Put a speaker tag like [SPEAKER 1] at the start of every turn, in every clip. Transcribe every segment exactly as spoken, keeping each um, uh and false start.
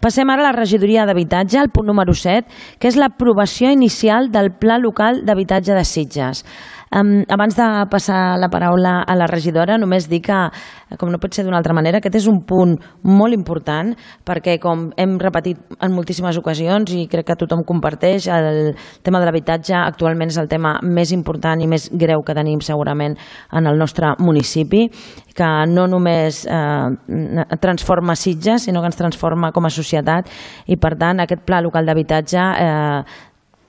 [SPEAKER 1] Passem ara a la regidoria d'habitatge, el punt número set, que és l'aprovació inicial del Pla Local d'Habitatge de Sitges. Um, abans de passar la paraula a la regidora, només dir que, com no pot ser d'una altra manera, aquest és un punt molt important perquè, com hem repetit en moltíssimes ocasions i crec que tothom comparteix, el tema de l'habitatge actualment és el tema més important i més greu que tenim segurament en el nostre municipi, que no només eh, transforma Sitges, sinó que ens transforma com a societat i, per tant, aquest Pla Local d'Habitatge eh,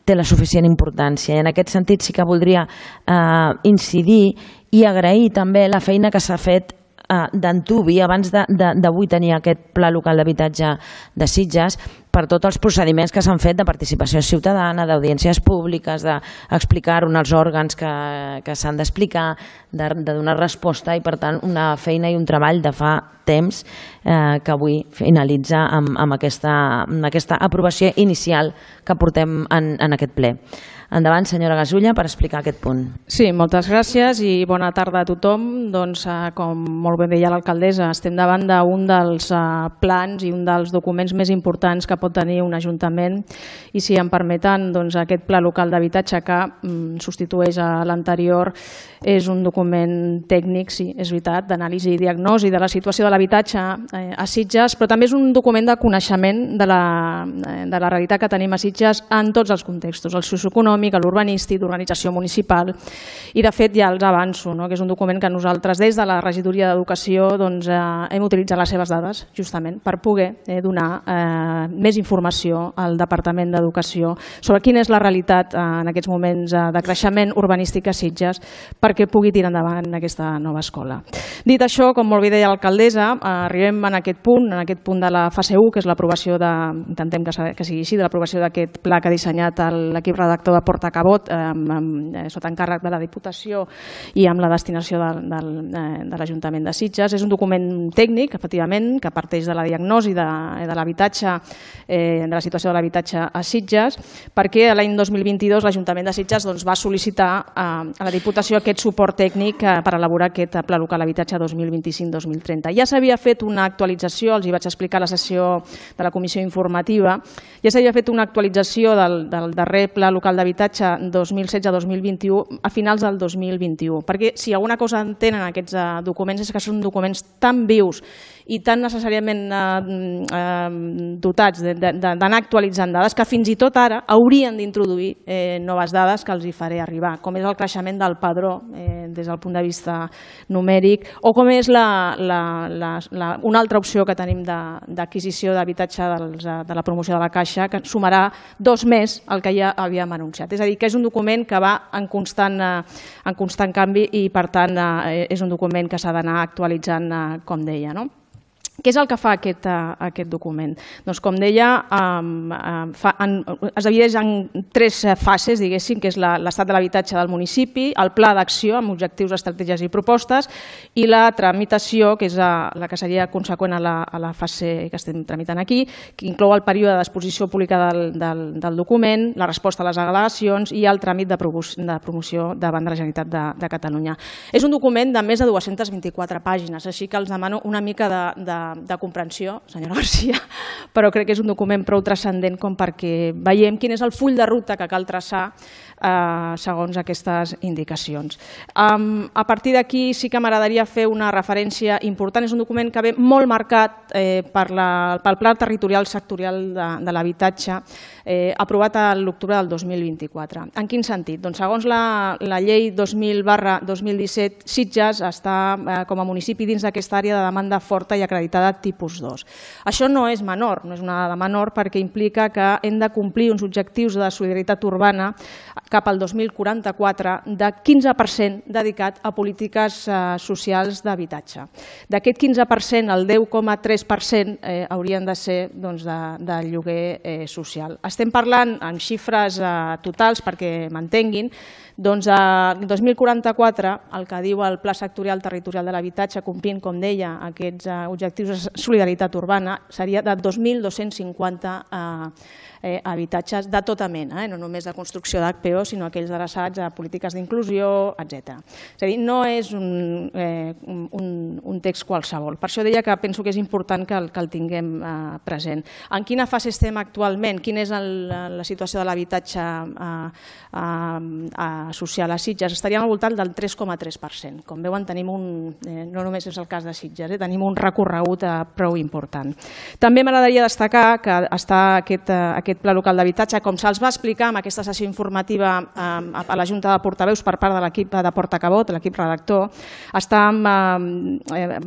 [SPEAKER 1] té la suficient importància. I en aquest sentit sí que voldria eh, incidir i agrair també la feina que s'ha fet eh, d'Antuvi abans d'avui tenir aquest Pla Local d'Habitatge de Sitges per tots els procediments que s'han fet de participació ciutadana, d'audiències públiques, d'explicar uns òrgans que, que s'han d'explicar, de, de donar resposta i, per tant, una feina i un treball de fa temps eh, que avui finalitza amb, amb, aquesta, amb aquesta aprovació inicial que portem en, en aquest ple. Endavant, senyora Gasulla, per explicar aquest punt.
[SPEAKER 2] Sí, moltes gràcies i bona tarda a tothom. Doncs, eh, com molt bé deia l'alcaldessa, estem davant d'un dels eh, plans i un dels documents més importants que pot tenir un ajuntament i, si em permeten, doncs, aquest Pla Local d'Habitatge que mm, substitueix a l'anterior és un document tècnic, sí, és veritat, d'anàlisi i diagnosi de la situació de l'habitatge eh, a Sitges, però també és un document de coneixement de la, de la realitat que tenim a Sitges en tots els contextos, el socioeconòmic, a l'urbanístic, d'organització municipal. I, de fet, ja els avanço, no? que és un document que nosaltres, des de la regidoria d'Educació, doncs, eh, hem utilitzat les seves dades, justament, per poder eh, donar eh, més informació al Departament d'Educació sobre quina és la realitat eh, en aquests moments eh, de creixement urbanístic a Sitges perquè pugui tirar endavant aquesta nova escola. Dit això, com molt bé deia l'alcaldessa, eh, arribem en aquest punt, en aquest punt de la fase u, que és l'aprovació de, intentem que, que sigui així, de l'aprovació d'aquest pla que ha dissenyat l'equip redactor de Portacabot eh, eh, sota encàrrec de la Diputació i amb la destinació de, de, de l'Ajuntament de Sitges. És un document tècnic, efectivament, que parteix de la diagnosi de, de l'habitatge, eh, de la situació de l'habitatge a Sitges, perquè l'any dos mil vint-i-dos l'Ajuntament de Sitges doncs, va sol·licitar eh, a la Diputació aquest suport tècnic eh, per elaborar aquest Pla Local d'Habitatge dos mil vint-i-cinc dos mil trenta. Ja s'havia fet una actualització, els hi vaig explicar a la sessió de la comissió informativa, ja s'havia fet una actualització del, del darrer Pla Local d'Habitatge dos mil setze dos mil vint-i-u a finals del dos mil vint-i-u, perquè si alguna cosa entenen aquests documents és que són documents tan vius i tan necessàriament eh, eh, dotats d'anar actualitzant dades que fins i tot ara haurien d'introduir eh, noves dades que els hi faré arribar, com és el creixement del padró eh, des del punt de vista numèric o com és la, la, la, la, una altra opció que tenim d'adquisició d'habitatge de la promoció de la Caixa que sumarà dos més al que ja havíem anunciat. És a dir, que és un document que va en constant, en constant canvi i, per tant, és un document que s'ha d'anar actualitzant, com deia, no? Què és el que fa aquest, aquest document? Doncs, com deia, fa, en, es divideix en tres fases, diguéssim, que és l'estat de l'habitatge del municipi, el pla d'acció amb objectius, estratègies i propostes i la tramitació, que és la, la que seria conseqüent a la, a la fase que estem tramitant aquí, que inclou el període d'exposició pública del, del, del document, la resposta a les al·legacions i el tràmit de, de promoció davant de la Generalitat de, de Catalunya. És un document de més de dues-centes vint-i-quatre pàgines, així que els demano una mica de, de de comprensió, senyora Garcia, però crec que és un document prou transcendent com perquè veiem quin és el full de ruta que cal traçar eh, segons aquestes indicacions. Um, a partir d'aquí sí que m'agradaria fer una referència important. És un document que ve molt marcat eh, per la, pel Pla Territorial Sectorial de, de l'Habitatge eh, aprovat a l'octubre del dos mil vint-i-quatre. En quin sentit? Doncs segons la, la llei dos mil barra dos mil disset, Sitges està eh, com a municipi dins d'aquesta àrea de demanda forta i acreditada de tipus dos. Això no és menor, no és una dada menor perquè implica que hem de complir uns objectius de solidaritat urbana cap al dos mil quaranta-quatre de quinze per cent dedicat a polítiques eh, socials d'habitatge. D'aquest quinze per cent, el deu coma tres per cent eh, haurien de ser doncs, de, de lloguer eh, social. Estem parlant en xifres eh, totals perquè m'entenguin. Doncs el dos mil quaranta-quatre, el que diu el Pla Sectorial Territorial de l'Habitatge, complint, com deia, aquests objectius de solidaritat urbana, seria de dos mil dos-cents cinquanta eh, eh, habitatges de tota mena, eh? No només de construcció d'H P d'ocupació, sinó aquells adreçats a polítiques d'inclusió, etcètera. És a dir, no és un, eh, un, un text qualsevol. Per això deia que penso que és important que el, que el tinguem eh, present. En quina fase estem actualment? Quina és el, la situació de l'habitatge eh, eh, social a Sitges? Estaríem al voltant del tres coma tres per cent. Com veuen, tenim un, eh, no només és el cas de Sitges, eh, tenim un recorregut eh, prou important. També m'agradaria destacar que està aquest, eh, aquest pla local d'habitatge, com se'ls va explicar en aquesta sessió informativa eh, a la Junta de Portaveus per part de l'equip de Portacabot, l'equip redactor, està eh,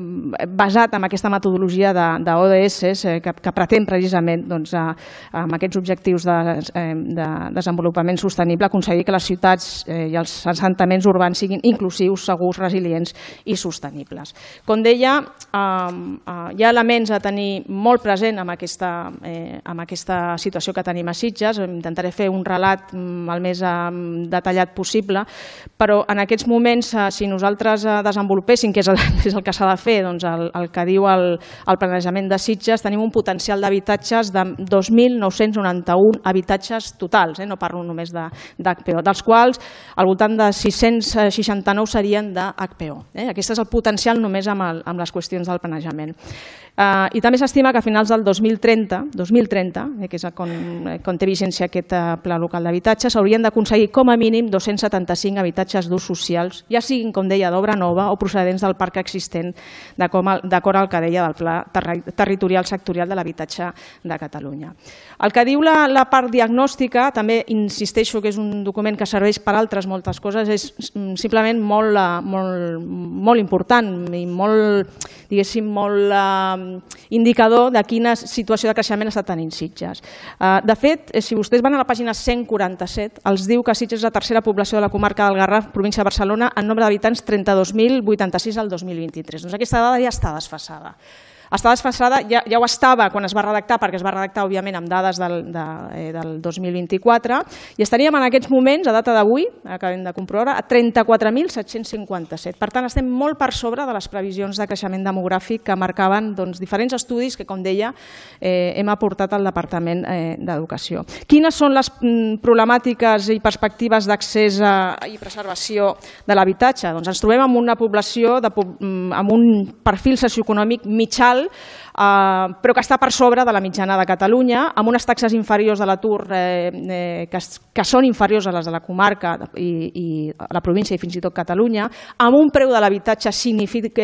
[SPEAKER 2] basat en aquesta metodologia d'O D S eh, que, que pretén precisament doncs, eh, amb aquests objectius de, eh, de desenvolupament sostenible aconseguir que les ciutats eh, i els assentaments urbans siguin inclusius, segurs, resilients i sostenibles. Com deia, eh, eh, hi ha elements a tenir molt present amb aquesta, eh, amb aquesta situació que tenim a Sitges. Intentaré fer un relat el més eh, detallat possible, però en aquests moments, eh, si nosaltres eh, desenvolupéssim, que és el, és el que s'ha de fer, doncs el, el que diu el, el planejament de Sitges, tenim un potencial d'habitatges de dos mil nou-cents noranta-un habitatges totals, eh? No parlo només d'H P O, dels quals al voltant de sis-cents seixanta-nou serien d'H P O. Eh? Aquest és el potencial només amb, el, amb les qüestions del planejament. Uh, I també s'estima que a finals del dos mil trenta, dos mil trenta eh, que és quan, quan té vigència aquest uh, pla local d'habitatge, s'haurien d'aconseguir com a mínim dos-cents setanta-cinc habitatges d'ús socials, ja siguin, com deia, d'obra nova o procedents del parc existent, d'acord al que deia del Pla Territorial Sectorial de l'Habitatge de Catalunya. El que diu la, la part diagnòstica, també insisteixo que és un document que serveix per altres moltes coses, és simplement molt, molt, molt important i molt, diguéssim, molt eh, indicador de quina situació de creixement està tenint Sitges. De fet, si vostès van a la pàgina cent quaranta-set, els diu que Sitges és la tercera població de la comarca del Garraf, província de Barcelona, en nombre d'habitants trenta-dos mil vuitanta-sis al dos mil vint-i-tres. Doncs aquesta dada ja està desfasada. Està desfasada, ja, ja ho estava quan es va redactar, perquè es va redactar, òbviament, amb dades del, de, eh, del dos mil vint-i-quatre, i estaríem en aquests moments, a data d'avui, acabem de comprovar, a trenta-quatre mil set-cents cinquanta-set. Per tant, estem molt per sobre de les previsions de creixement demogràfic que marcaven doncs, diferents estudis que, com deia, eh, hem aportat al Departament eh, d'Educació. Quines són les mm, problemàtiques i perspectives d'accés i preservació de l'habitatge? Doncs ens trobem amb una població de, amb un perfil socioeconòmic mitjà, Uh, però que està per sobre de la mitjana de Catalunya, amb unes taxes inferiors de l'atur eh, eh, que, que són inferiors a les de la comarca i, i la província i fins i tot Catalunya, amb un preu de l'habitatge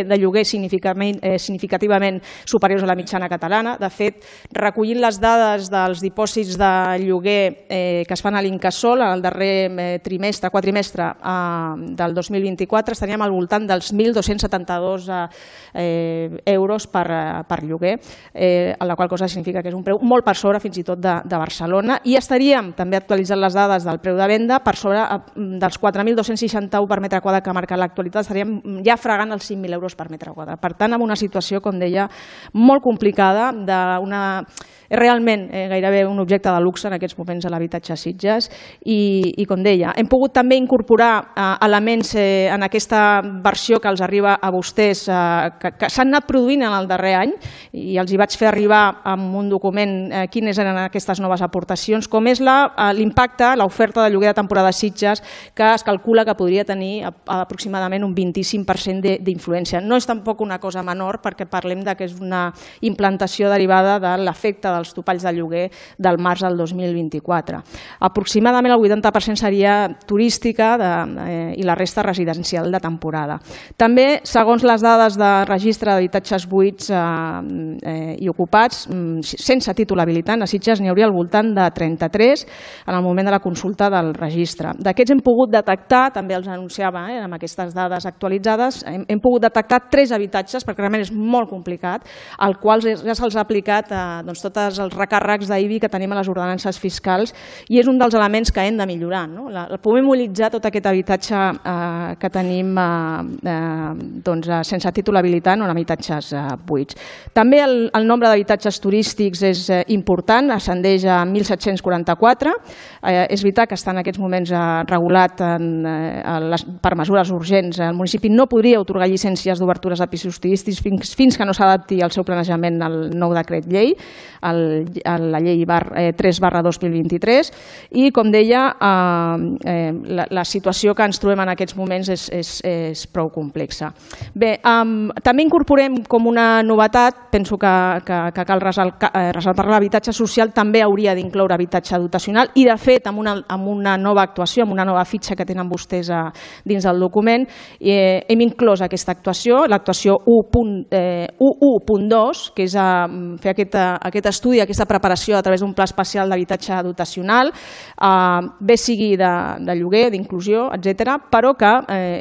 [SPEAKER 2] de lloguer significativament, eh, significativament superiors a la mitjana catalana. De fet, recollint les dades dels dipòsits de lloguer eh, que es fan a l'Incasòl en el darrer eh, trimestre, quadrimestre eh, del dos mil vint-i-quatre, estaríem al voltant dels mil dos-cents setanta-dos eh, euros per per lloguer, eh, la qual cosa significa que és un preu molt per sobre fins i tot de, de Barcelona, i estaríem també actualitzant les dades del preu de venda per sobre dels quatre mil dos-cents seixanta-u per metre quadrat que marca l'actualitat, estaríem ja fregant els cinc mil euros per metre quadrat. Per tant, amb una situació, com deia, molt complicada, d'una... és realment eh, gairebé un objecte de luxe en aquests moments a l'habitatge a Sitges i, i com deia, hem pogut també incorporar eh, elements eh, en aquesta versió que els arriba a vostès eh, que, que s'han anat produint en el darrer any i els hi vaig fer arribar amb un document eh, quines eren aquestes noves aportacions, com és l'impacte, l'oferta de lloguer de temporada a Sitges, que es calcula que podria tenir aproximadament un vint-i-cinc per cent d'influència. No és tampoc una cosa menor perquè parlem de que és una implantació derivada de l'efecte dels topalls de lloguer del març del dos mil vint-i-quatre. Aproximadament el vuitanta per cent seria turística de, eh, i la resta residencial de temporada. També, segons les dades de registre d'habitatges buits eh, eh, i ocupats, sense títol habilitant, a Sitges n'hi hauria al voltant de trenta-tres en el moment de la consulta del registre. D'aquests hem pogut detectar, també els anunciava eh, amb aquestes dades actualitzades, hem, hem pogut detectar tres habitatges, perquè realment és molt complicat, al qual ja se'ls ha aplicat eh, doncs, totes els recàrrecs d'I B I que tenim a les ordenances fiscals i és un dels elements que hem de millorar. No? La, poder mobilitzar tot aquest habitatge eh, que tenim eh, eh, doncs, sense títol habilitant o en habitatges eh, buits. També el, el nombre d'habitatges turístics és eh, important, ascendeix a mil set-cents quaranta-quatre. Eh, és veritat que està en aquests moments eh, regulat en, eh, les, per mesures urgents. El municipi no podria atorgar llicències d'obertures de pisos turístics fins, fins que no s'adapti al seu planejament al nou decret llei, el la llei tres barra dos mil vint-i-tres i, com deia, la situació que ens trobem en aquests moments és prou complexa. Bé, també incorporem com una novetat, penso que cal ressaltar l'habitatge social també hauria d'incloure habitatge dotacional i, de fet, amb una nova actuació, amb una nova fitxa que tenen vostès dins del document, hem inclòs aquesta actuació, l'actuació u punt dos, que és fer aquest estudi, aquesta preparació a través d'un pla especial d'habitatge dotacional, bé sigui de lloguer, d'inclusió, etcètera, però que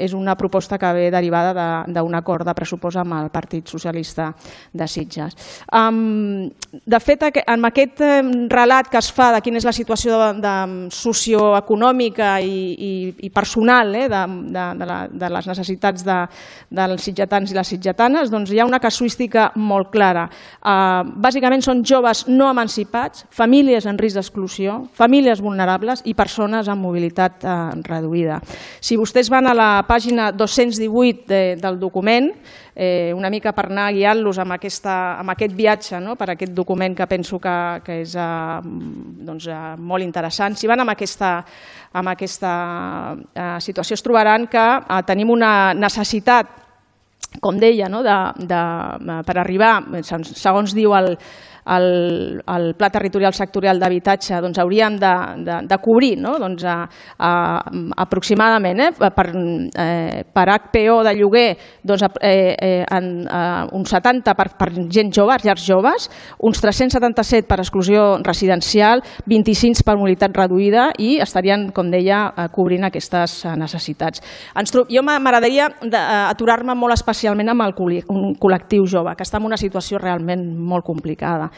[SPEAKER 2] és una proposta que ve derivada d'un acord de pressupost amb el Partit Socialista de Sitges. De fet, amb aquest relat que es fa de quina és la situació socioeconòmica i personal de les necessitats dels sitgetans i les sitgetanes, hi ha una casuística molt clara. Bàsicament són joves no emancipats, famílies en risc d'exclusió, famílies vulnerables i persones amb mobilitat reduïda. Si vostès van a la pàgina dos-cents divuit del document, una mica per anar guiant-los amb aquest viatge, per aquest document que penso que és molt interessant. Si van amb aquesta situació es trobaran que tenim una necessitat, com deia, per arribar, segons diu el Pla Territorial Sectorial d'Habitatge, hauríem de cobrir aproximadament per H P O de lloguer un setanta per gent jove, llars joves, uns tres-cents setanta-set per exclusió residencial, vint-i-cinc per mobilitat reduïda i estarien, com deia, cobrint aquestes necessitats. Jo m'agradaria aturar-me molt especialment amb el col·lectiu jove, que està en una situació realment molt complicada,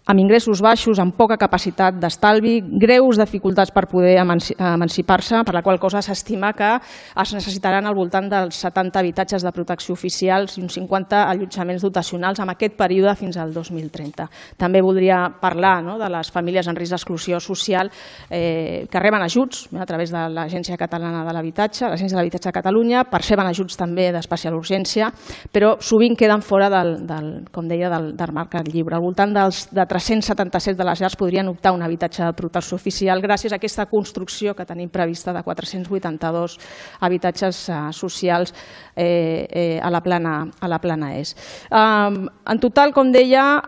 [SPEAKER 2] amb ingressos baixos, amb poca capacitat d'estalvi, greus dificultats per poder emancipar-se, per la qual cosa s'estima que es necessitaran al voltant dels setanta habitatges de protecció oficials i uns cinquanta allotjaments dotacionals en aquest període fins al dos mil trenta. També voldria parlar de les famílies en risc d'exclusió social que reben ajuts a través de l'Agència Catalana de l'Habitatge, l'Agència de l'Habitatge de Catalunya, perceben ajuts també d'especial urgència, però sovint queden fora del, com deia, del mercat lliure. Al voltant dels de tres-cents setanta-set de les llars podrien optar a un habitatge de protecció oficial gràcies a aquesta construcció que tenim prevista de quatre-cents vuitanta-dos habitatges socials a la plana est. En total, com deia,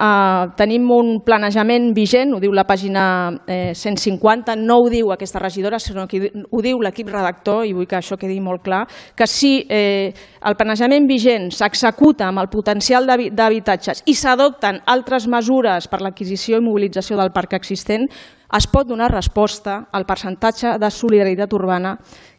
[SPEAKER 2] tenim un planejament vigent, ho diu la pàgina cent cinquanta, no ho diu aquesta regidora, sinó que ho diu l'equip redactor, i vull que això quedi molt clar, que si el planejament vigent s'executa amb el potencial d'habitatges i s'adopten altres mesures per l'adquisició i mobilització del parc existent, es pot donar resposta al percentatge de solidaritat urbana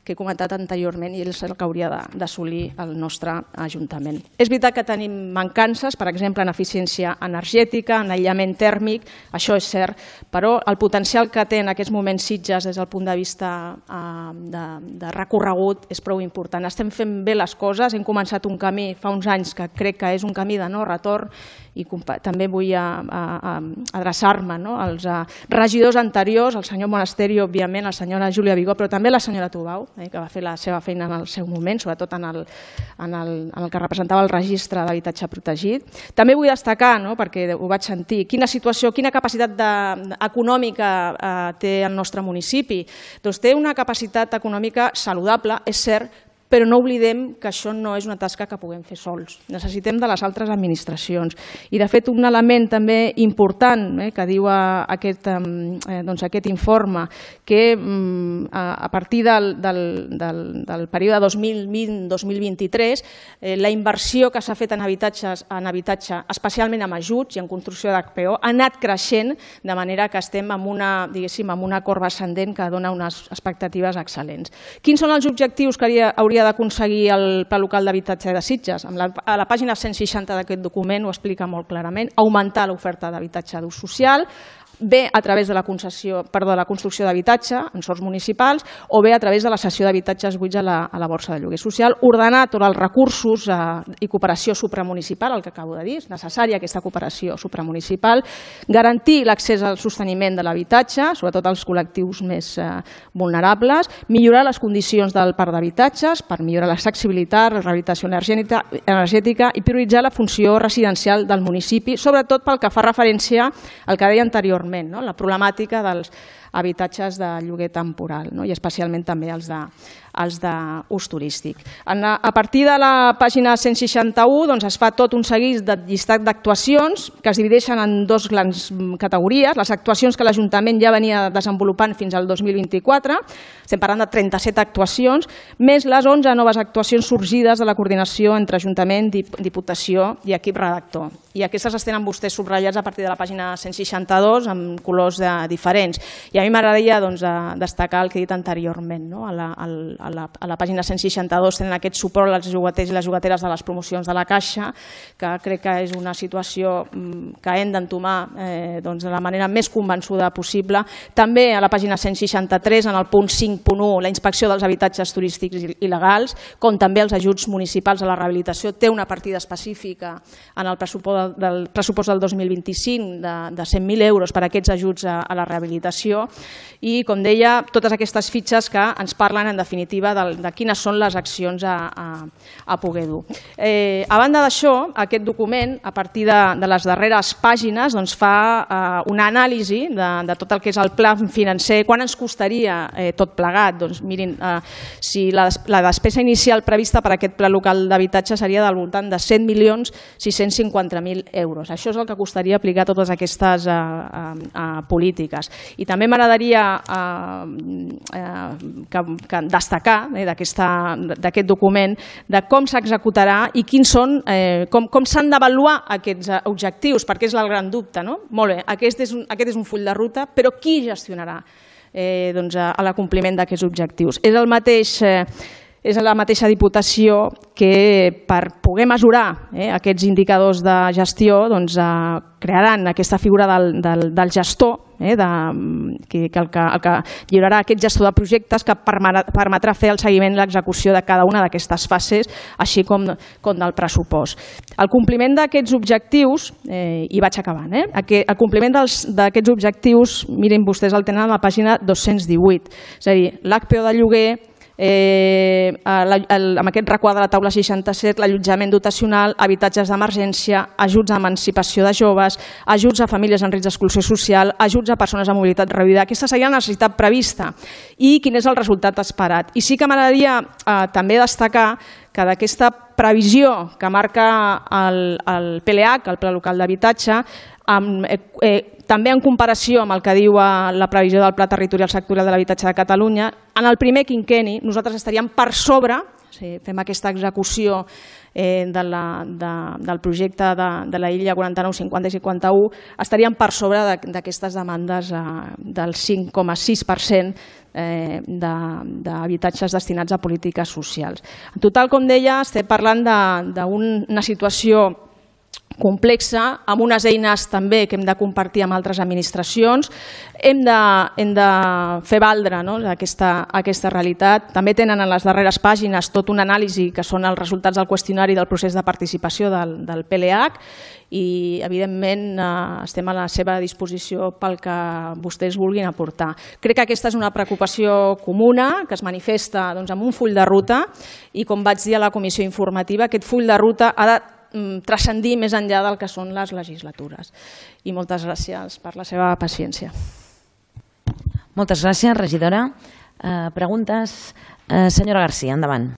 [SPEAKER 2] que he comentat anteriorment i és el que hauria d'assolir el nostre Ajuntament. És veritat que tenim mancances, per exemple, en eficiència energètica, en aïllament tèrmic, això és cert, però el potencial que té en aquests moments Sitges des del punt de vista de recorregut és prou important. Estem fent bé les coses, hem començat un camí fa uns anys que crec que és un camí de no retorn i també vull adreçar-me als regidors anteriors, el senyor Monasterio, òbviament, la senyora Júlia Vigó, però també la senyora Tubau, que va fer la seva feina en el seu moment, sobretot en el que representava el registre d'habitatge protegit. També vull destacar, perquè ho vaig sentir, quina situació, quina capacitat econòmica té el nostre municipi. Doncs té una capacitat econòmica saludable, és cert, però no oblidem que això no és una tasca que puguem fer sols. Necessitem de les altres administracions. I, de fet, un element també important que diu aquest informe, que a partir del període dos mil vint a dos mil vint-i-tres, la inversió que s'ha fet en habitatge, especialment en ajuts i en construcció d'H P O, ha anat creixent, de manera que estem en una corba ascendent que dona unes expectatives excel·lents. Quins són els objectius que hauria d'aconseguir el Pla Local d'Habitatge de Sitges? A la pàgina cent seixanta d'aquest document ho explica molt clarament. Augmentar l'oferta d'habitatge d'ús social, bé a través de la concessió, perdó, la construcció d'habitatge en sòls municipals o bé a través de la cessió d'habitatges buits a la, a la borsa de lloguer social, ordenar tots els recursos eh, i cooperació supramunicipal, el que acabo de dir, és necessària aquesta cooperació supramunicipal, garantir l'accés al sosteniment de l'habitatge, sobretot als col·lectius més eh, vulnerables, millorar les condicions del parc d'habitatges per millorar l'accessibilitat, la rehabilitació energètica, energètica i prioritzar la funció residencial del municipi, sobretot pel que fa referència al que deia anteriorment, no? La problemàtica dels habitatges de lloguer temporal, no? I especialment també els de els d'ús turístic. A partir de la pàgina cent seixanta-u doncs, es fa tot un seguit de llistat d'actuacions que es divideixen en dues grans categories. Les actuacions que l'Ajuntament ja venia desenvolupant fins al dos mil vint-i-quatre, estem parlant de trenta-set actuacions, més les onze noves actuacions sorgides de la coordinació entre Ajuntament, Diputació i equip redactor. I aquestes es tenen vostès subratllats a partir de la pàgina cent seixanta-dos amb colors diferents. I a mi m'agradaria destacar el que he dit anteriorment, no? A la, a la, a la pàgina cent seixanta-dos tenen aquest suport als jugaters i les jugateres de les promocions de la Caixa, que crec que és una situació que hem d'entomar eh, doncs, de la manera més convençuda possible. També a la pàgina cent seixanta-tres, en el punt cinc punt u, la inspecció dels habitatges turístics il·legals, com també els ajuts municipals a la rehabilitació, té una partida específica en el pressupost del pressupost del dos mil vint-i-cinc de, de cent mil euros per a aquests ajuts a, a la rehabilitació i, com deia, totes aquestes fitxes que ens parlen, en definitiva, de, de quines són les accions a, a, a poder dur. Eh, a banda d'això, aquest document, a partir de, de les darreres pàgines, doncs, fa eh, una anàlisi de, de tot el que és el pla financer, quan ens costaria eh, tot plegat. Doncs, mirin, eh, si la, la despesa inicial prevista per a aquest pla local d'habitatge seria del voltant de set milions sis-cents cinquanta mil euros. Això és el que costaria aplicar totes aquestes eh, eh, polítiques. I també m'agradaria eh, eh, que, que destacar eh, d'aquest document de com s'executarà i quins són, eh, com, com s'han d'avaluar aquests objectius, perquè és el gran dubte. No? Molt bé, aquest és un, aquest és un full de ruta, però qui gestionarà eh, doncs, a l'acompliment d'aquests objectius? És el mateix... Eh, és la mateixa Diputació que, per poder mesurar eh, aquests indicadors de gestió, doncs, eh, crearan aquesta figura del, del, del gestor, eh, de, que, que el que, el que lliurarà aquest gestor de projectes que permetrà fer el seguiment i l'execució de cada una d'aquestes fases, així com, com del pressupost. El compliment d'aquests objectius, eh, i vaig acabant, eh, el compliment d'aquests objectius, miren vostès, el tenen a la pàgina dos-cents divuit, és a dir, l'H P O de lloguer, Eh, el, el, amb aquest requadre de la taula seixanta-set, l'allotjament dotacional, habitatges d'emergència, ajuts a emancipació de joves, ajuts a famílies en risc d'exclusió social, ajuts a persones amb mobilitat reduïda. Aquesta seria la necessitat prevista i quin és el resultat esperat. I sí que m'agradaria eh, també destacar que d'aquesta previsió que marca el, el P L H, el Pla Local d'Habitatge, amb, eh, eh, també en comparació amb el que diu la previsió del Pla Territorial Sectorial de l'Habitatge de Catalunya, en el primer quinquenni nosaltres estaríem per sobre, si fem aquesta execució eh, de la, de, del projecte de, de la Illa quaranta-nou, cinquanta i cinquanta-u, estaríem per sobre d'aquestes demandes eh, del cinc coma sis per cent eh, d'habitatges destinats a polítiques socials. En total, com deia, estem parlant d'una situació complexa, amb unes eines també que hem de compartir amb altres administracions. Hem de, hem de fer valdre, no, aquesta, aquesta realitat. També tenen en les darreres pàgines tot una anàlisi que són els resultats del qüestionari del procés de participació del, del P L H i, evidentment, eh, estem a la seva disposició pel que vostès vulguin aportar. Crec que aquesta és una preocupació comuna que es manifesta doncs, amb un full de ruta i, com vaig dir a la comissió informativa, aquest full de ruta ha de transcendir més enllà del que són les legislatures. I moltes gràcies per la seva paciència.
[SPEAKER 1] Moltes gràcies, regidora. Eh, preguntes? Eh, senyora García, endavant.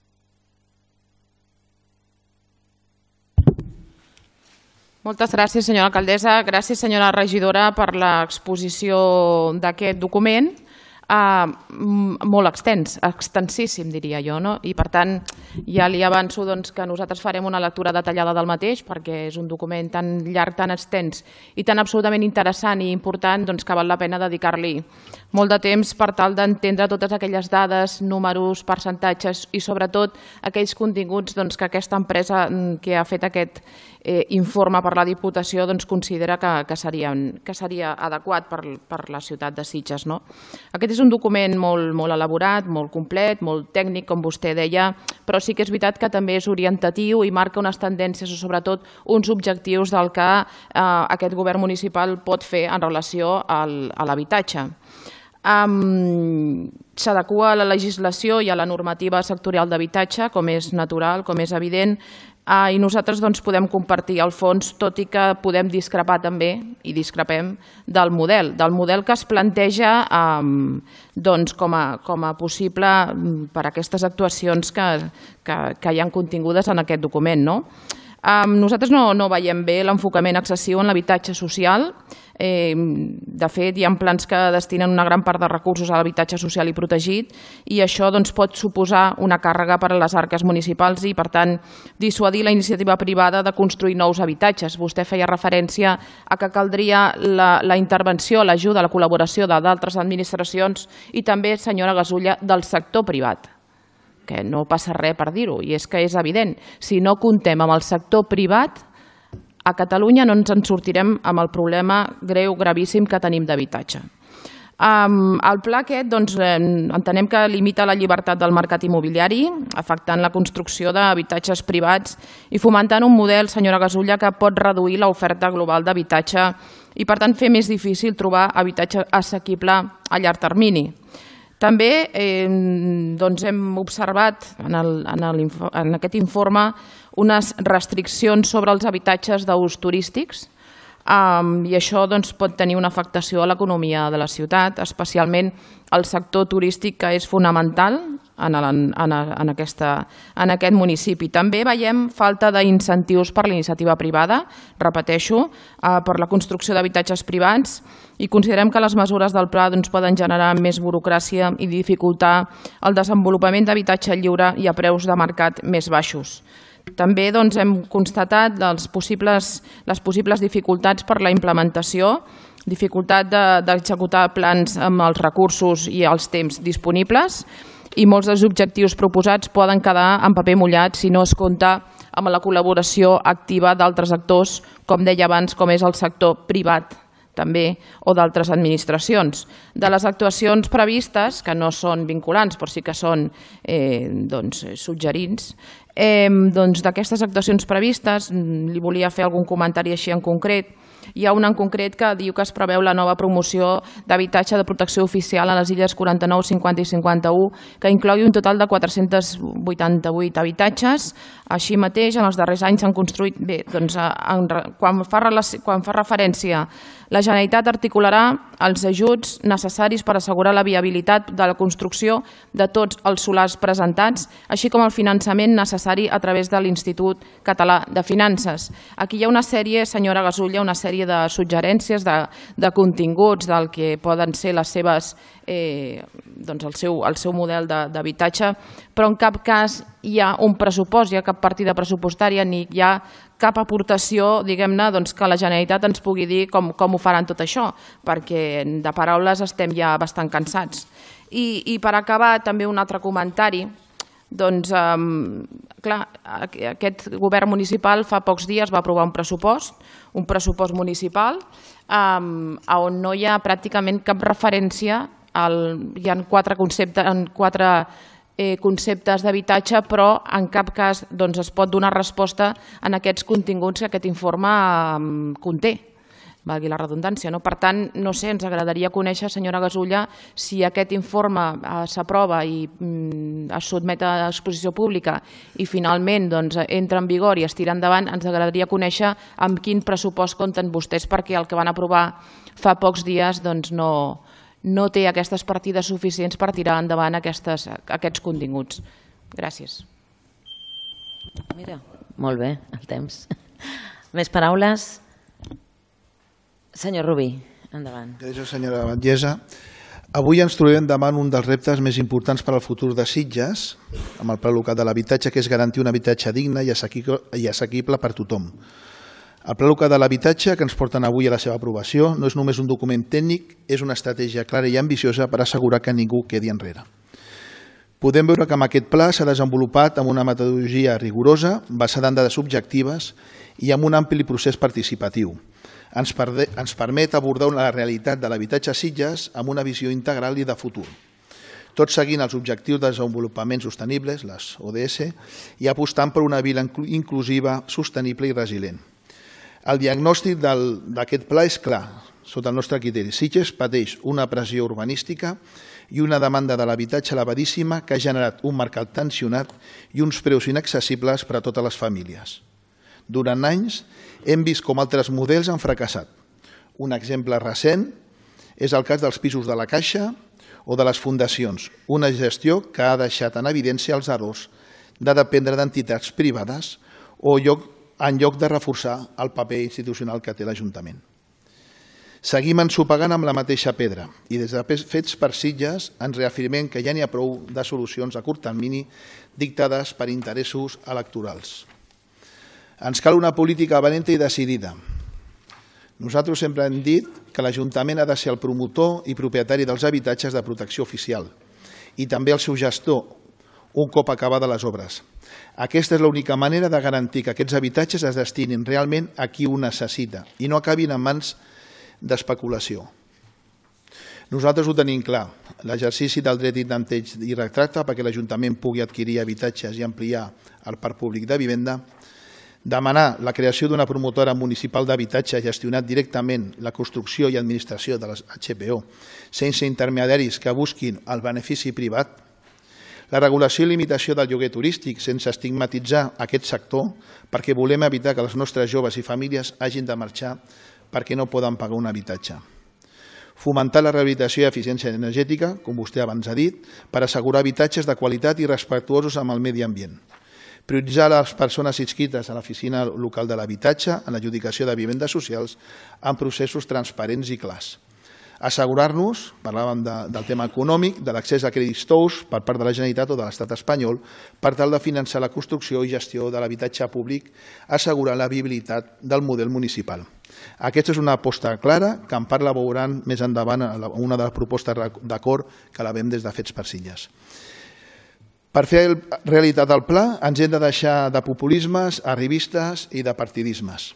[SPEAKER 3] Moltes gràcies, senyora alcaldessa. Gràcies, senyora regidora, per l'exposició d'aquest document. Uh, molt extens, extensíssim diria jo, no? I per tant ja li avanço doncs, que nosaltres farem una lectura detallada del mateix perquè és un document tan llarg, tan extens i tan absolutament interessant i important doncs, que val la pena dedicar-li molt de temps per tal d'entendre totes aquelles dades, números, percentatges i sobretot aquells continguts doncs, que aquesta empresa que ha fet aquest eh, informe per la Diputació doncs, considera que, que, serien, que seria adequat per, per la ciutat de Sitges. No? Aquest és un document molt, molt elaborat, molt complet, molt tècnic, com vostè deia, però sí que és veritat que també és orientatiu i marca unes tendències o sobretot uns objectius del que eh, aquest govern municipal pot fer en relació al, a l'habitatge. Um, s'adequa a la legislació i a la normativa sectorial d'habitatge, com és natural, com és evident, uh, i nosaltres doncs, podem compartir el fons, tot i que podem discrepar també, i discrepem, del model, del model que es planteja um, doncs, com, a, com a possible per a aquestes actuacions que, que, que hi ha contingudes en aquest document. No? Um, nosaltres no, no veiem bé l'enfocament excessiu en l'habitatge social. Eh, de fet, hi ha plans que destinen una gran part de recursos a l'habitatge social i protegit i això doncs, pot suposar una càrrega per a les arques municipals i, per tant, dissuadir la iniciativa privada de construir nous habitatges. Vostè feia referència a que caldria la, la intervenció, l'ajuda, la col·laboració d'altres administracions i també, senyora Gasulla, del sector privat, que no passa res per dir-ho, i és que és evident. Si no comptem amb el sector privat, a Catalunya no ens en sortirem amb el problema greu, gravíssim que tenim d'habitatge. Um, el pla aquest doncs, eh, entenem que limita la llibertat del mercat immobiliari, afectant la construcció d'habitatges privats i fomentant un model, senyora Gasulla, que pot reduir l'oferta global d'habitatge i, per tant, fer més difícil trobar habitatge assequible a llarg termini. També eh, doncs hem observat en, el, en, el, en aquest informe unes restriccions sobre els habitatges d'ús turístics um, i això doncs, pot tenir una afectació a l'economia de la ciutat, especialment al sector turístic, que és fonamental en, el, en, en, aquesta, en aquest municipi. També veiem falta d'incentius per la iniciativa privada, repeteixo, eh, per la construcció d'habitatges privats, i considerem que les mesures del pla doncs, poden generar més burocràcia i dificultar el desenvolupament d'habitatge lliure i a preus de mercat més baixos. També doncs, hem constatat les possibles, les possibles dificultats per la implementació, dificultat d'executar de, plans amb els recursos i els temps disponibles, i molts dels objectius proposats poden quedar en paper mullat si no es compta amb la col·laboració activa d'altres actors, com deia abans, com és el sector privat també, o d'altres administracions. De les actuacions previstes, que no són vinculants, però sí que són eh, doncs, suggerents, eh, doncs, d'aquestes actuacions previstes, li volia fer algun comentari així en concret. Hi ha una en concret que diu que es preveu la nova promoció d'habitatge de protecció oficial a les illes quaranta-nou, cinquanta i cinquanta-u, que inclogui un total de quatre-cents vuitanta-vuit habitatges. Així mateix, en els darrers anys s'han construït... Bé, doncs, en, quan, fa, quan fa referència, la Generalitat articularà els ajuts necessaris per assegurar la viabilitat de la construcció de tots els solars presentats, així com el finançament necessari a través de l'Institut Català de Finances. Aquí hi ha una sèrie, senyora Gasulla, una sèrie de suggerències, de, de continguts del que poden ser les seves, eh, doncs el, seu, el seu model d'habitatge, però en cap cas hi ha un pressupost, hi ha cap partida pressupostària ni hi ha cap aportació, diguem-ne, doncs, que la Generalitat ens pugui dir com, com ho faran tot això, perquè de paraules estem ja bastant cansats. I, i per acabar, també un altre comentari. Doncs, um, clar, aquest govern municipal fa pocs dies va aprovar un pressupost, un pressupost municipal, um, on no hi ha pràcticament cap referència, al, hi ha quatre conceptes, en quatre eh, conceptes d'habitatge, però en cap cas doncs, es pot donar resposta en aquests continguts que aquest informe um, conté. Valgui la redundància. No? Per tant, no sé, ens agradaria conèixer, senyora Gasulla, si aquest informe eh, s'aprova i mm, es sotmet a exposició pública i finalment doncs, entra en vigor i es tira endavant, ens agradaria conèixer amb quin pressupost compten vostès, perquè el que van aprovar fa pocs dies doncs, no, no té aquestes partides suficients per tirar endavant aquestes, aquests continguts. Gràcies.
[SPEAKER 1] Mira, molt bé, el temps. Més paraules? Senyor Rubí, endavant.
[SPEAKER 4] Gràcies, senyora Batllessa. Avui ens trobem davant un dels reptes més importants per al futur de Sitges, amb el Pla Local de l'Habitatge, que és garantir un habitatge digne i assequible per tothom. El Pla Local de l'Habitatge, que ens porten avui a la seva aprovació, no és només un document tècnic, és una estratègia clara i ambiciosa per assegurar que ningú quedi enrere. Podem veure que amb aquest pla s'ha desenvolupat amb una metodologia rigorosa, basada en dades objectives i amb un ampli procés participatiu. Ens permet abordar la realitat de l'habitatge a Sitges amb una visió integral i de futur, tot seguint els objectius de desenvolupament sostenibles, les O D S, i apostant per una vila inclusiva, sostenible i resilient. El diagnòstic d'aquest pla és clar, sota el nostre criteri. Sitges pateix una pressió urbanística i una demanda de l'habitatge elevadíssima que ha generat un mercat tensionat i uns preus inaccessibles per a totes les famílies. Durant anys hem vist com altres models han fracassat. Un exemple recent és el cas dels pisos de la Caixa o de les fundacions, una gestió que ha deixat en evidència els errors de dependre d'entitats privades o en lloc de reforçar el paper institucional que té l'Ajuntament. Seguim ensopegant amb la mateixa pedra i des de Fets per Sitges ens reafirmem que ja n'hi ha prou de solucions a curt termini dictades per interessos electorals. Ens cal una política valenta i decidida. Nosaltres sempre hem dit que l'Ajuntament ha de ser el promotor i propietari dels habitatges de protecció oficial i també el seu gestor un cop acabades les obres. Aquesta és l'única manera de garantir que aquests habitatges es destinin realment a qui ho necessita i no acabin en mans d'especulació. Nosaltres ho tenim clar, l'exercici del dret de tanteig i retracte perquè l'Ajuntament pugui adquirir habitatges i ampliar el parc públic de vivenda, demanar la creació d'una promotora municipal d'habitatge gestionat directament la construcció i administració de les H P O sense intermediaris que busquin el benefici privat, la regulació i limitació del lloguer turístic sense estigmatitzar aquest sector perquè volem evitar que els nostres joves i famílies hagin de marxar perquè no poden pagar un habitatge. Fomentar la rehabilitació i eficiència energètica, com vostè abans ha dit, per assegurar habitatges de qualitat i respectuosos amb el medi ambient. Prioritzar les persones inscrites a l'Oficina Local de l'Habitatge en l'adjudicació de vivendes socials amb processos transparents i clars. Assegurar-nos, parlàvem de, del tema econòmic, de l'accés a crèdits tous per part de la Generalitat o de l'Estat espanyol per tal de finançar la construcció i gestió de l'habitatge públic, assegurant la viabilitat del model municipal. Aquesta és una aposta clara que en part la veuran més endavant a una de les propostes d'acord que la veiem des de Fets per Sitges. Per fer realitat el pla ens hem de deixar de populismes, arribistes i de partidismes.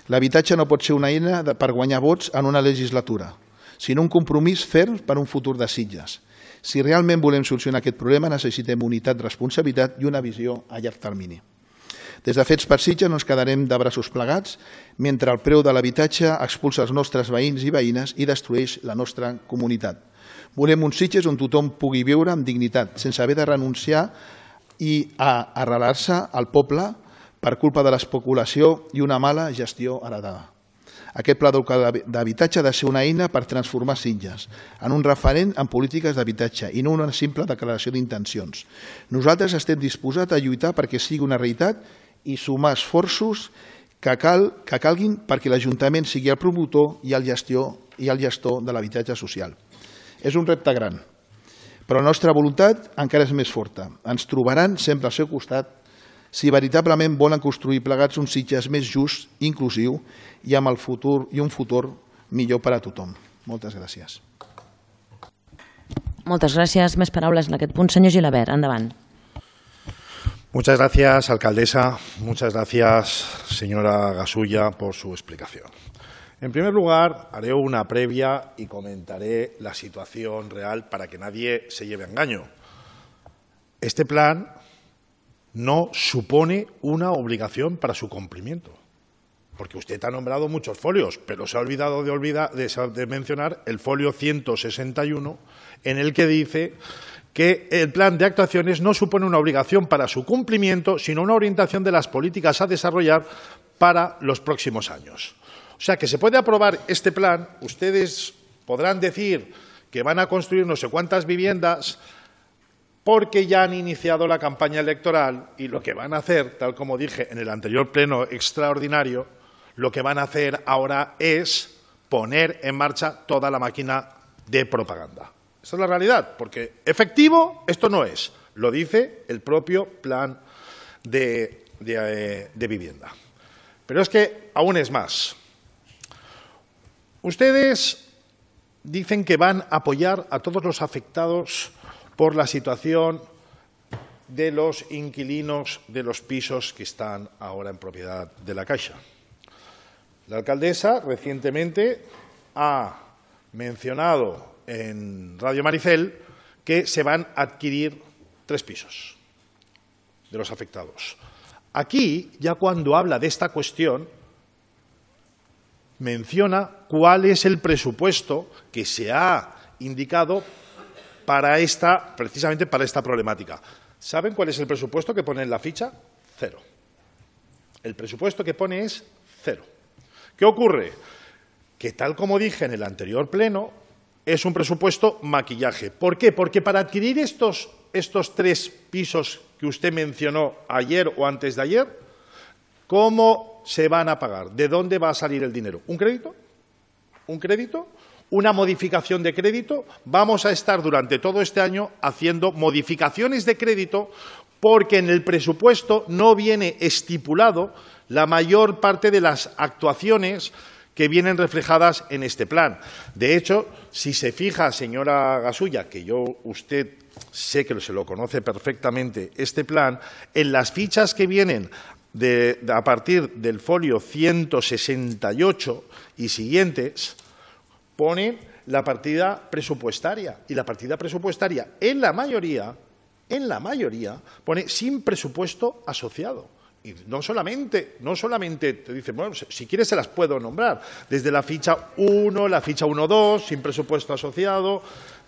[SPEAKER 4] L'habitatge no pot ser una eina per guanyar vots en una legislatura, sinó un compromís ferm per un futur de Sitges. Si realment volem solucionar aquest problema necessitem unitat, responsabilitat i una visió a llarg termini. Des de Fets per Sitges no ens quedarem de braços plegats mentre el preu de l'habitatge expulsa els nostres veïns i veïnes i destrueix la nostra comunitat. Volem un Sitges on tothom pugui viure amb dignitat, sense haver de renunciar i a arrelar-se al poble per culpa de l'especulació i una mala gestió heretada. Aquest pla d'habitatge ha de ser una eina per transformar Sitges en un referent en polítiques d'habitatge i no una simple declaració d'intencions. Nosaltres estem disposats a lluitar perquè sigui una realitat i sumar esforços que, cal, que calguin perquè l'Ajuntament sigui el promotor i el gestor, i el gestor de l'habitatge social. És un repte gran, però la nostra voluntat encara és més forta. Ens trobaran sempre al seu costat si veritablement volen construir plegats un Sitges més just, inclusiu i amb el futur i un futur millor per a tothom. Moltes gràcies.
[SPEAKER 1] Moltes gràcies. Més paraules en aquest punt. Senyor Gilabert, endavant.
[SPEAKER 5] Muchas gracias, alcaldesa. Muchas gracias, señora Gasulla, por su explicación. En primer lugar, haré una previa y comentaré la situación real para que nadie se lleve a engaño. Este plan no supone una obligación para su cumplimiento, porque usted ha nombrado muchos folios, pero se ha olvidado de, olvidar, de, de mencionar el folio ciento sesenta y uno, en el que dice que el plan de actuaciones no supone una obligación para su cumplimiento, sino una orientación de las políticas a desarrollar para los próximos años. O sea, que se puede aprobar este plan, ustedes podrán decir que van a construir no sé cuántas viviendas porque ya han iniciado la campaña electoral y lo que van a hacer, tal como dije en el anterior pleno extraordinario, lo que van a hacer ahora es poner en marcha toda la máquina de propaganda. Esa es la realidad, porque efectivo esto no es. Lo dice el propio plan de, de, de vivienda. Pero es que aún es más. Ustedes dicen que van a apoyar a todos los afectados por la situación de los inquilinos de los pisos que están ahora en propiedad de la Caixa. La alcaldesa recientemente ha mencionado en Radio Maricel que se van a adquirir tres pisos de los afectados. Aquí, ya cuando habla de esta cuestión, menciona cuál es el presupuesto que se ha indicado para esta, precisamente para esta problemática. ¿Saben cuál es el presupuesto que pone en la ficha? Cero. El presupuesto que pone es cero. ¿Qué ocurre? Que tal como dije en el anterior pleno, es un presupuesto maquillaje. ¿Por qué? Porque para adquirir estos, estos tres pisos que usted mencionó ayer o antes de ayer, ¿cómo se van a pagar? ¿De dónde va a salir el dinero? ¿Un crédito? ¿Un crédito? ¿Una modificación de crédito? Vamos a estar durante todo este año haciendo modificaciones de crédito porque en el presupuesto no viene estipulado la mayor parte de las actuaciones que vienen reflejadas en este plan. De hecho, si se fija, señora Gasulla, que yo, usted sé que se lo conoce perfectamente, este plan, en las fichas que vienen de, de, a partir del folio ciento sesenta y ocho y siguientes, pone la partida presupuestaria. Y la partida presupuestaria, en la mayoría, en la mayoría, pone sin presupuesto asociado. Y no solamente, no solamente te dicen, bueno, si quieres se las puedo nombrar, desde la ficha uno, la ficha uno punto dos, sin presupuesto asociado,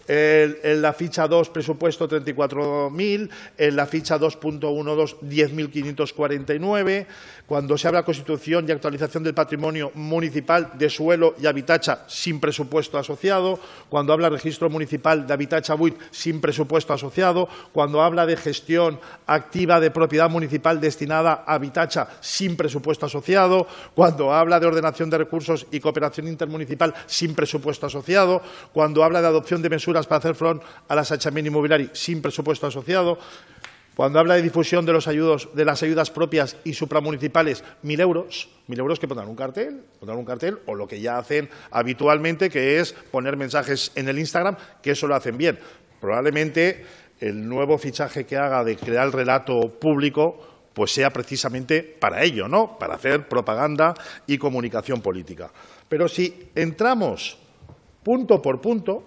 [SPEAKER 5] el, en la ficha dos, presupuesto treinta y cuatro mil, en la ficha dos punto doce, diez mil quinientos cuarenta y nueve, cuando se habla de constitución y actualización del patrimonio municipal de suelo y habitacha sin presupuesto asociado, cuando habla de registro municipal de habitacha buit sin presupuesto asociado, cuando habla de gestión activa de propiedad municipal destinada a habitacha sin presupuesto asociado, cuando habla de ordenación de recursos y cooperación intermunicipal sin presupuesto asociado, cuando habla de adopción de mesures para hacer front a l'assetjament inmobiliari sin presupuesto asociado, cuando habla de difusión de, los ayudos, de las ayudas propias y supramunicipales, mil euros, mil euros que pondrán un cartel, pondrán un cartel o lo que ya hacen habitualmente, que es poner mensajes en el Instagram, que eso lo hacen bien. Probablemente el nuevo fichaje que haga de crear el relato público pues sea precisamente para ello, ¿no? Para hacer propaganda y comunicación política. Pero si entramos punto por punto,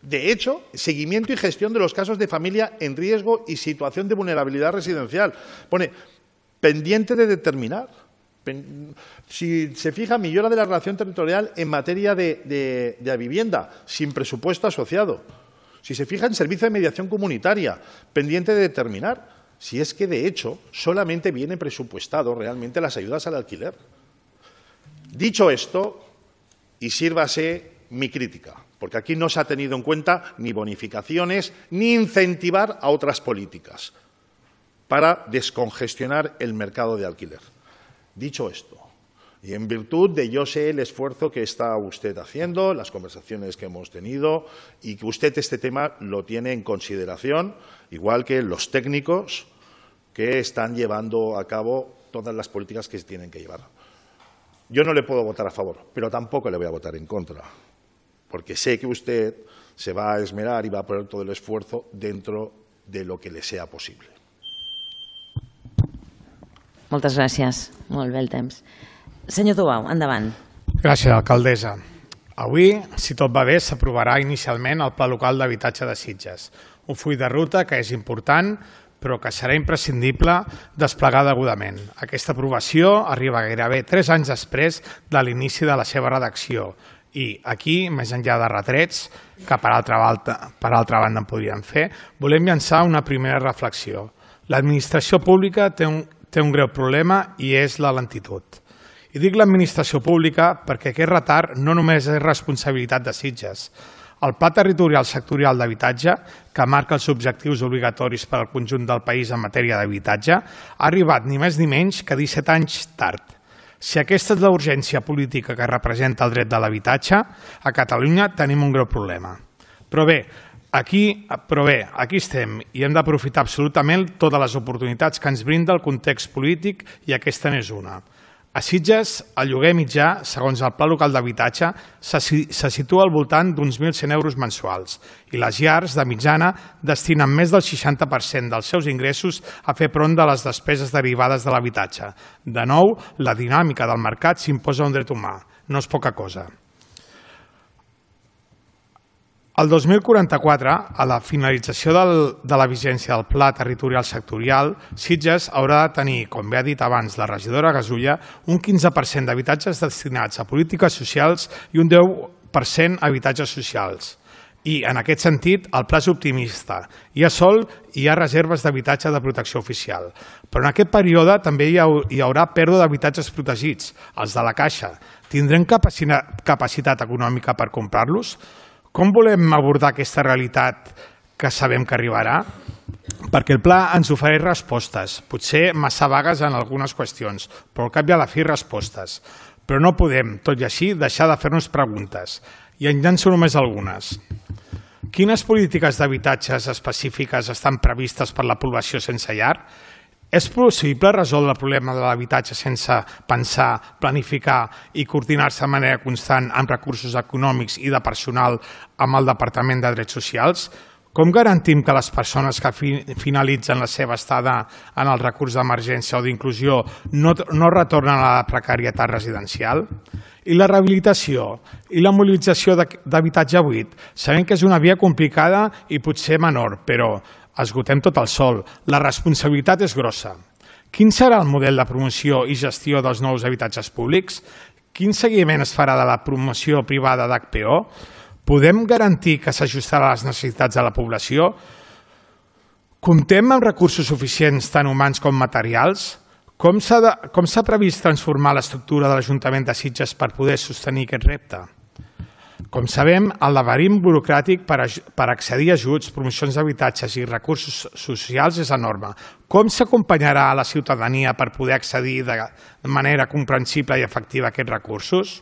[SPEAKER 5] de hecho, seguimiento y gestión de los casos de familia en riesgo y situación de vulnerabilidad residencial. Pone, pendiente de determinar. Si se fija, millora de la relación territorial en materia de, de, de vivienda, sin presupuesto asociado. Si se fija en servicio de mediación comunitaria, pendiente de determinar. Si es que, de hecho, solamente viene presupuestado realmente las ayudas al alquiler. Dicho esto, y sírvase mi crítica, porque aquí no se ha tenido en cuenta ni bonificaciones ni incentivar a otras políticas para descongestionar el mercado de alquiler. Dicho esto, y en virtud de yo sé el esfuerzo que está usted haciendo, las conversaciones que hemos tenido y que usted este tema lo tiene en consideración, igual que los técnicos que están llevando a cabo todas las políticas que se tienen que llevar. Yo no le puedo votar a favor, pero tampoco le voy a votar en contra, porque sé que usted se va a esmerar y va a poner todo el esfuerzo dentro de lo que le sea possible.
[SPEAKER 1] Moltes gràcies. Molt bé el temps. Senyor Tubau, endavant.
[SPEAKER 6] Gràcies, alcaldessa. Avui, si tot va bé, s'aprovarà inicialment el Pla Local d'Habitatge de Sitges, un full de ruta que és important, però que serà imprescindible desplegar degudament. Aquesta aprovació arriba gairebé tres anys després de l'inici de la seva redacció i aquí, més enllà de retrets, que per altra banda, per altra banda en podríem fer, volem llançar una primera reflexió. L'administració pública té un, té un greu problema i és la lentitud. I dic l'administració pública perquè aquest retard no només és responsabilitat de Sitges. El Pla Territorial Sectorial d'Habitatge, que marca els objectius obligatoris per al conjunt del país en matèria d'habitatge, ha arribat ni més ni menys que disset anys tard. Si aquesta és la urgència política que representa el dret de l'habitatge, a Catalunya tenim un greu problema. Però bé, Aquí, però bé, aquí estem i hem d'aprofitar absolutament totes les oportunitats que ens brinda el context polític i aquesta n'és una. A Sitges, el lloguer mitjà, segons el Pla Local d'Habitatge, se situa al voltant d'uns mil cent euros mensuals i les llars, de mitjana, destinen més del seixanta per cent dels seus ingressos a fer front de les despeses derivades de l'habitatge. De nou, la dinàmica del mercat s'imposa un dret humà. No és poca cosa. El dos mil quaranta-quatre, a la finalització del, de la vigència del Pla Territorial Sectorial, Sitges haurà de tenir, com bé ha dit abans la regidora Gasulla, un quinze per cent d'habitatges destinats a polítiques socials i un deu per cent a habitatges socials. I, en aquest sentit, el pla és optimista. Hi ha sol i hi ha reserves d'habitatge de protecció oficial. Però en aquest període també hi haurà pèrdua d'habitatges protegits, els de la Caixa. Tindrem capacitat econòmica per comprar-los? Com volem abordar aquesta realitat que sabem que arribarà? Perquè el pla ens ofereix respostes, potser massa vagues en algunes qüestions, però al cap i a la fi respostes. Però no podem, tot i així, deixar de fer-nos preguntes. I en llanço només algunes. Quines polítiques d'habitatges específiques estan previstes per la població sense llar? És possible resoldre el problema de l'habitatge sense pensar, planificar i coordinar-se de manera constant amb recursos econòmics i de personal amb el Departament de Drets Socials? Com garantim que les persones que finalitzen la seva estada en el recurs d'emergència o d'inclusió no, no retornen a la precarietat residencial? I la rehabilitació i la mobilització d'habitatge buit? Sabem que és una via complicada i potser menor, però esgotem tot el sol. La responsabilitat és grossa. Quin serà el model de promoció i gestió dels nous habitatges públics? Quin seguiment es farà de la promoció privada d'H P O? Podem garantir que s'ajustarà a les necessitats de la població? Comptem amb recursos suficients tant humans com materials? Com s'ha previst transformar l'estructura de l'Ajuntament de Sitges per poder sostenir aquest repte? Com sabem, el laberint burocràtic per accedir a ajuts, promocions d'habitatges i recursos socials és enorme. Com s'acompanyarà a la ciutadania per poder accedir de manera comprensible i efectiva a aquests recursos?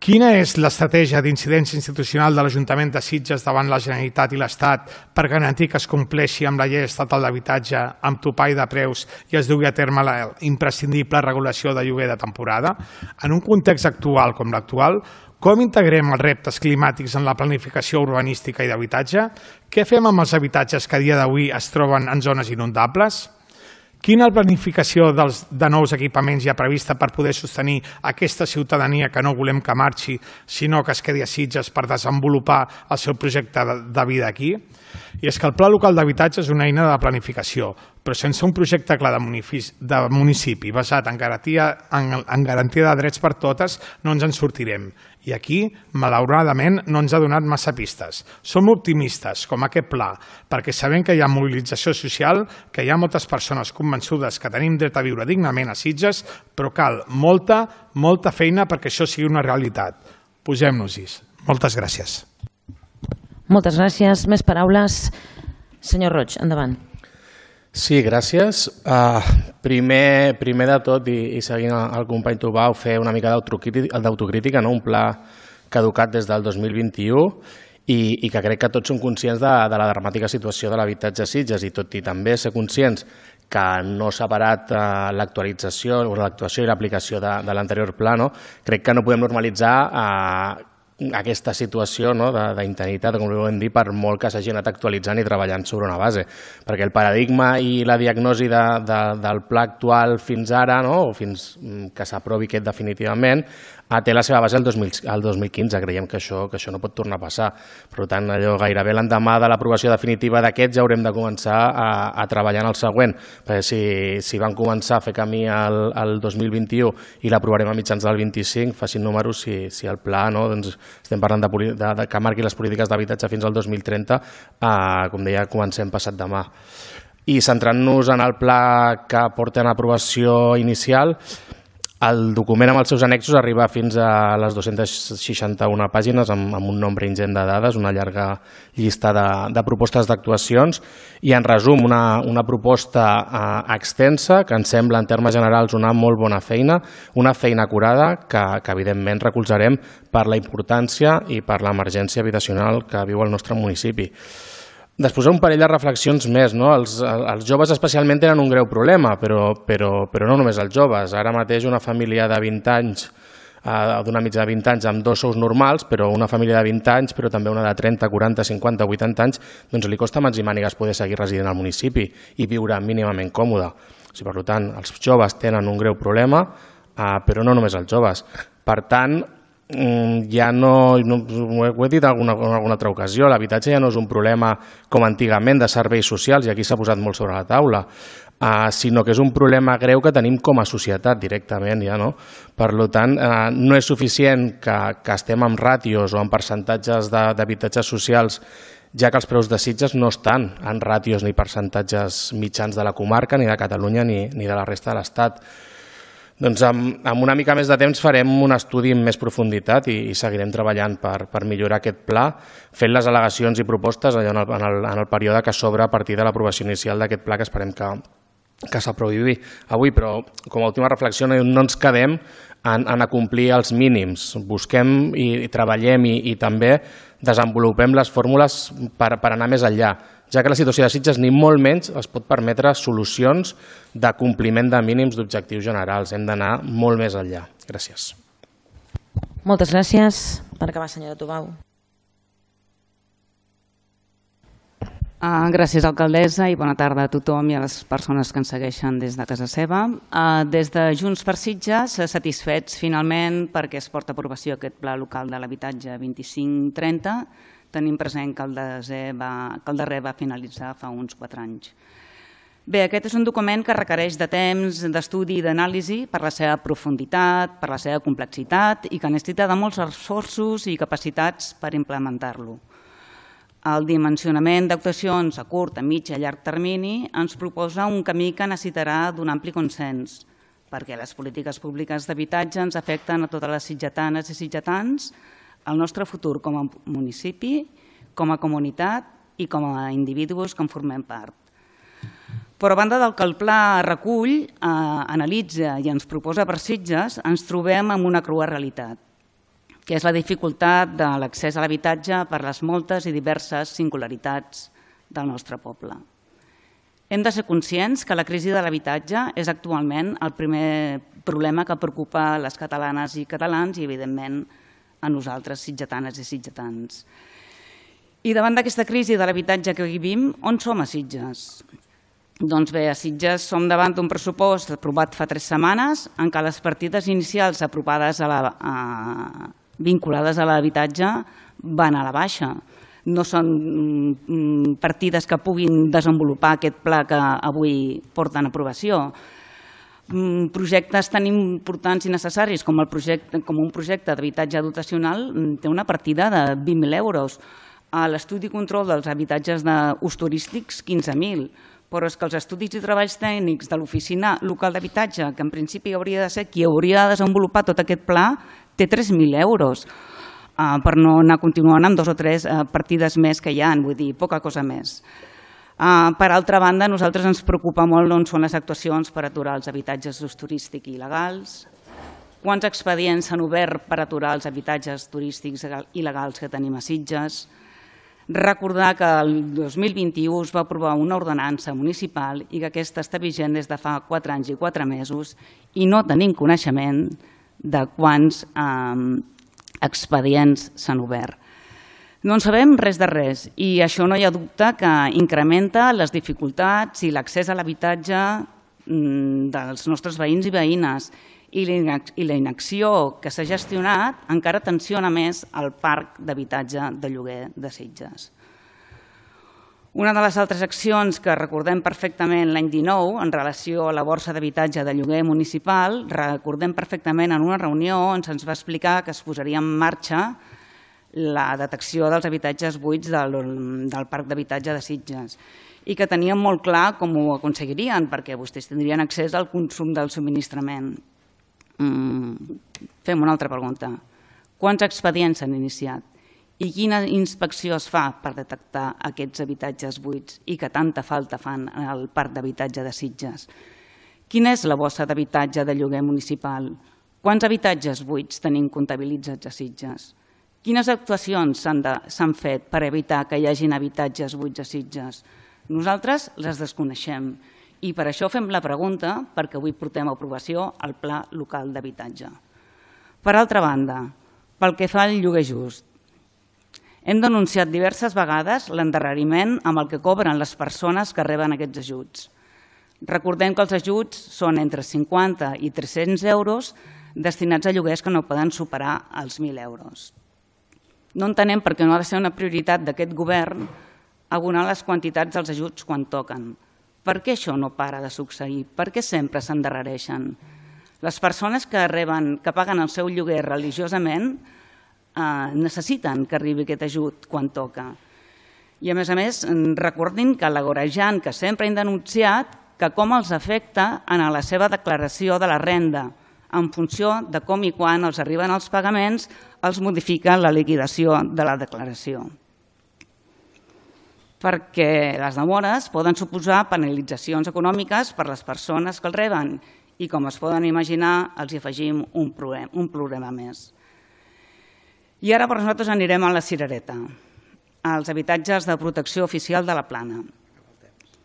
[SPEAKER 6] Quina és l'estratègia d'incidència institucional de l'Ajuntament de Sitges davant la Generalitat i l'Estat per garantir que es compleixi amb la llei estatal d'habitatge amb topall de preus i es dugui a terme la imprescindible regulació de lloguer de temporada? En un context actual com l'actual, com integrem els reptes climàtics en la planificació urbanística i d'habitatge? Què fem amb els habitatges que a dia d'avui es troben en zones inundables? Quina planificació de nous equipaments hi ha prevista per poder sostenir aquesta ciutadania que no volem que marxi, sinó que es quedi a Sitges per desenvolupar el seu projecte de vida aquí? I és que el Pla Local d'Habitatge és una eina de planificació, però sense un projecte clar de municipi basat en garantia, en garantia de drets per totes no ens en sortirem. I aquí, malauradament, no ens ha donat massa pistes. Som optimistes, com aquest pla, perquè sabem que hi ha mobilització social, que hi ha moltes persones convençudes que tenim dret a viure dignament a Sitges, però cal molta, molta feina perquè això sigui una realitat. Posem-nos-hi. Moltes gràcies.
[SPEAKER 1] Moltes gràcies. Més paraules. Senyor Roig, endavant.
[SPEAKER 7] Sí, gràcies. Uh, primer, primer de tot, i, i seguint el company Tubau, fer una mica d'autocrítica, no? Un pla caducat des del dos mil vint-i-u i, i que crec que tots som conscients de, de la dramàtica situació de l'habitatge a Sitges i tot i també ser conscients que no s'ha parat uh, l'actualització o l'actuació i l'aplicació de, de l'anterior pla, no? Crec que no podem normalitzar uh, aquesta situació no, d'interinitat, com ho hem dit, per molt que s'hagi anat actualitzant i treballant sobre una base. Perquè el paradigma i la diagnosi de, de, del pla actual fins ara, no, o fins que s'aprovi aquest definitivament, té la seva base el dos mil quinze. Creiem que això, que això no pot tornar a passar. Per tant, allò gairebé l'endemà de l'aprovació definitiva d'aquest ja haurem de començar a, a treballar en el següent. Perquè si, si van començar a fer camí el, el dos mil vint-i-u i l'aprovarem a mitjans del vint-i-cinc, facin números si, si el pla, no, doncs, estem parlant de, de, de que marqui les polítiques d'habitatge fins al dos mil trenta, eh, com deia, comencem passat demà. I centrant-nos en el pla que porta en aprovació inicial, El document amb els seus annexos arriba fins a les dues-centes seixanta-una pàgines amb, amb un nombre ingent de dades, una llarga llista de, de propostes d'actuacions i, en resum, una, una proposta eh, extensa que ens sembla, en termes generals, una molt bona feina, una feina acurada que, que evidentment, recolzarem per la importància i per l'emergència habitacional que viu el nostre municipi. Després un parell de reflexions més. No? Els, els joves especialment tenen un greu problema, però, però, però no només els joves. Ara mateix una família de vint anys, eh, d'una mitja de vint anys amb dos sous normals, però una família de vint anys, però també una de trenta, quaranta, cinquanta, vuitanta anys, doncs li costa mans i mànigues poder seguir residint al municipi i viure mínimament còmode. O sigui, per tant, els joves tenen un greu problema, eh, però no només els joves. Per tant, ja no, no ho he dit en alguna, en alguna altra ocasió, l'habitatge ja no és un problema com antigament de serveis socials, i aquí s'ha posat molt sobre la taula, uh, sinó que és un problema greu que tenim com a societat directament. Ja, no? Per tant, uh, no és suficient que, que estem amb ràtios o amb percentatges d'habitatges socials, ja que els preus de Sitges no estan en ràtios ni percentatges mitjans de la comarca, ni de Catalunya, ni, ni de la resta de l'Estat. Doncs amb, amb una mica més de temps farem un estudi en més profunditat i, i seguirem treballant per, per millorar aquest pla, fent les al·legacions i propostes allò en, el, en, el, en el període que s'obre a partir de l'aprovació inicial d'aquest pla, que esperem que, que s'aprovi avui. Però com a última reflexió, no, no ens quedem en, en acomplir els mínims. Busquem i, i treballem i, i també desenvolupem les fórmules per, per anar més enllà, ja que la situació de Sitges ni molt menys es pot permetre solucions de compliment de mínims d'objectius generals. Hem d'anar molt més enllà. Gràcies.
[SPEAKER 1] Moltes gràcies. Per acabar, senyora Tubau.
[SPEAKER 8] Uh, gràcies, alcaldessa, i bona tarda a tothom i a les persones que ens segueixen des de casa seva. Uh, des de Junts per Sitges, satisfets finalment perquè es porta a aprovació aquest pla local de l'habitatge vint-i-cinc trenta. Tenim present que el, va, que el darrer va finalitzar fa uns quatre anys. Bé, aquest és un document que requereix de temps, d'estudi i d'anàlisi per la seva profunditat, per la seva complexitat i que necessita de molts esforços i capacitats per implementar-lo. El dimensionament d'actuacions a curt, a mig i a llarg termini ens proposa un camí que necessitarà d'un ampli consens, perquè les polítiques públiques d'habitatge ens afecten a totes les sitgetanes i sitgetans, el nostre futur com a municipi, com a comunitat i com a individus que en formem part. Però a banda del que el pla recull, eh, analitza i ens proposa per Sitges, ens trobem amb una crua realitat, que és la dificultat de l'accés a l'habitatge per les moltes i diverses singularitats del nostre poble. Hem de ser conscients que la crisi de l'habitatge és actualment el primer problema que preocupa les catalanes i catalans i, evidentment, a nosaltres, sitgetanes i sitgetans. I davant d'aquesta crisi de l'habitatge que vivim, on som a Sitges? Doncs bé, a Sitges som davant d'un pressupost aprovat fa tres setmanes en què les partides inicials aprovades a la, a, vinculades a l'habitatge van a la baixa. No són partides que puguin desenvolupar aquest pla que avui porten a aprovació. Projectes tan importants i necessaris com, el projecte, com un projecte d'habitatge dotacional té una partida de vint mil euros. A l'estudi i control dels habitatges d'ús turístics, quinze mil. Però és que els estudis i treballs tècnics de l'oficina local d'habitatge, que en principi hauria de ser qui hauria de desenvolupar tot aquest pla, té tres mil euros. Uh, per no anar continuant amb dos o tres uh, partides més que hi ha, vull dir, poca cosa més. Uh, per altra banda, a nosaltres ens preocupa molt on són les actuacions per aturar els habitatges d'ús turístic il·legals, quants expedients s'han obert per aturar els habitatges turístics il·legals que tenim a Sitges. Recordar que el dos mil vint-i-u es va aprovar una ordenança municipal i que aquesta està vigent des de fa quatre anys i quatre mesos i no tenim coneixement de quants eh, expedients s'han obert. No en sabem res de res i això no hi ha dubte que incrementa les dificultats i l'accés a l'habitatge dels nostres veïns i veïnes i la inacció que s'ha gestionat encara tensiona més el parc d'habitatge de lloguer de Sitges. Una de les altres accions que recordem perfectament l'any dinou en relació a la borsa d'habitatge de lloguer municipal, recordem perfectament en una reunió on se'ns va explicar que es posaria en marxa la detecció dels habitatges buits del, del parc d'habitatge de Sitges i que tenien molt clar com ho aconseguirien perquè vostès tindrien accés al consum del subministrament. Fem una altra pregunta. Quants expedients s'han iniciat? I quina inspecció es fa per detectar aquests habitatges buits i que tanta falta fan al parc d'habitatge de Sitges? Quina és la bossa d'habitatge de lloguer municipal? Quants habitatges buits tenim comptabilitzats a Sitges? Quines actuacions s'han fet per evitar que hi hagin habitatges buits a Sitges? Nosaltres les desconeixem i per això fem la pregunta, perquè avui portem a aprovació el Pla Local d'Habitatge. Per altra banda, pel que fa al lloguer just, hem denunciat diverses vegades l'endarreriment amb el que cobren les persones que reben aquests ajuts. Recordem que els ajuts són entre cinquanta i tres-cents euros destinats a lloguers que no poden superar els mil euros. No entenem per què no ha de ser una prioritat d'aquest govern abonar les quantitats dels ajuts quan toquen. Per què això no para de succeir? Per què sempre s'endarrereixen? Les persones que reben, que paguen el seu lloguer religiosament necessiten que arribi aquest ajut quan toca. I a més a més, recordin que l'agorejant que sempre han denunciat que com els afecta en la seva declaració de la renda, en funció de com i quan els arriben els pagaments, els modifica la liquidació de la declaració. Perquè les demores poden suposar penalitzacions econòmiques per les persones que el reben i, com es poden imaginar, els hi afegim un problema més. I ara per nosaltres anirem a la cirereta, als habitatges de protecció oficial de la Plana.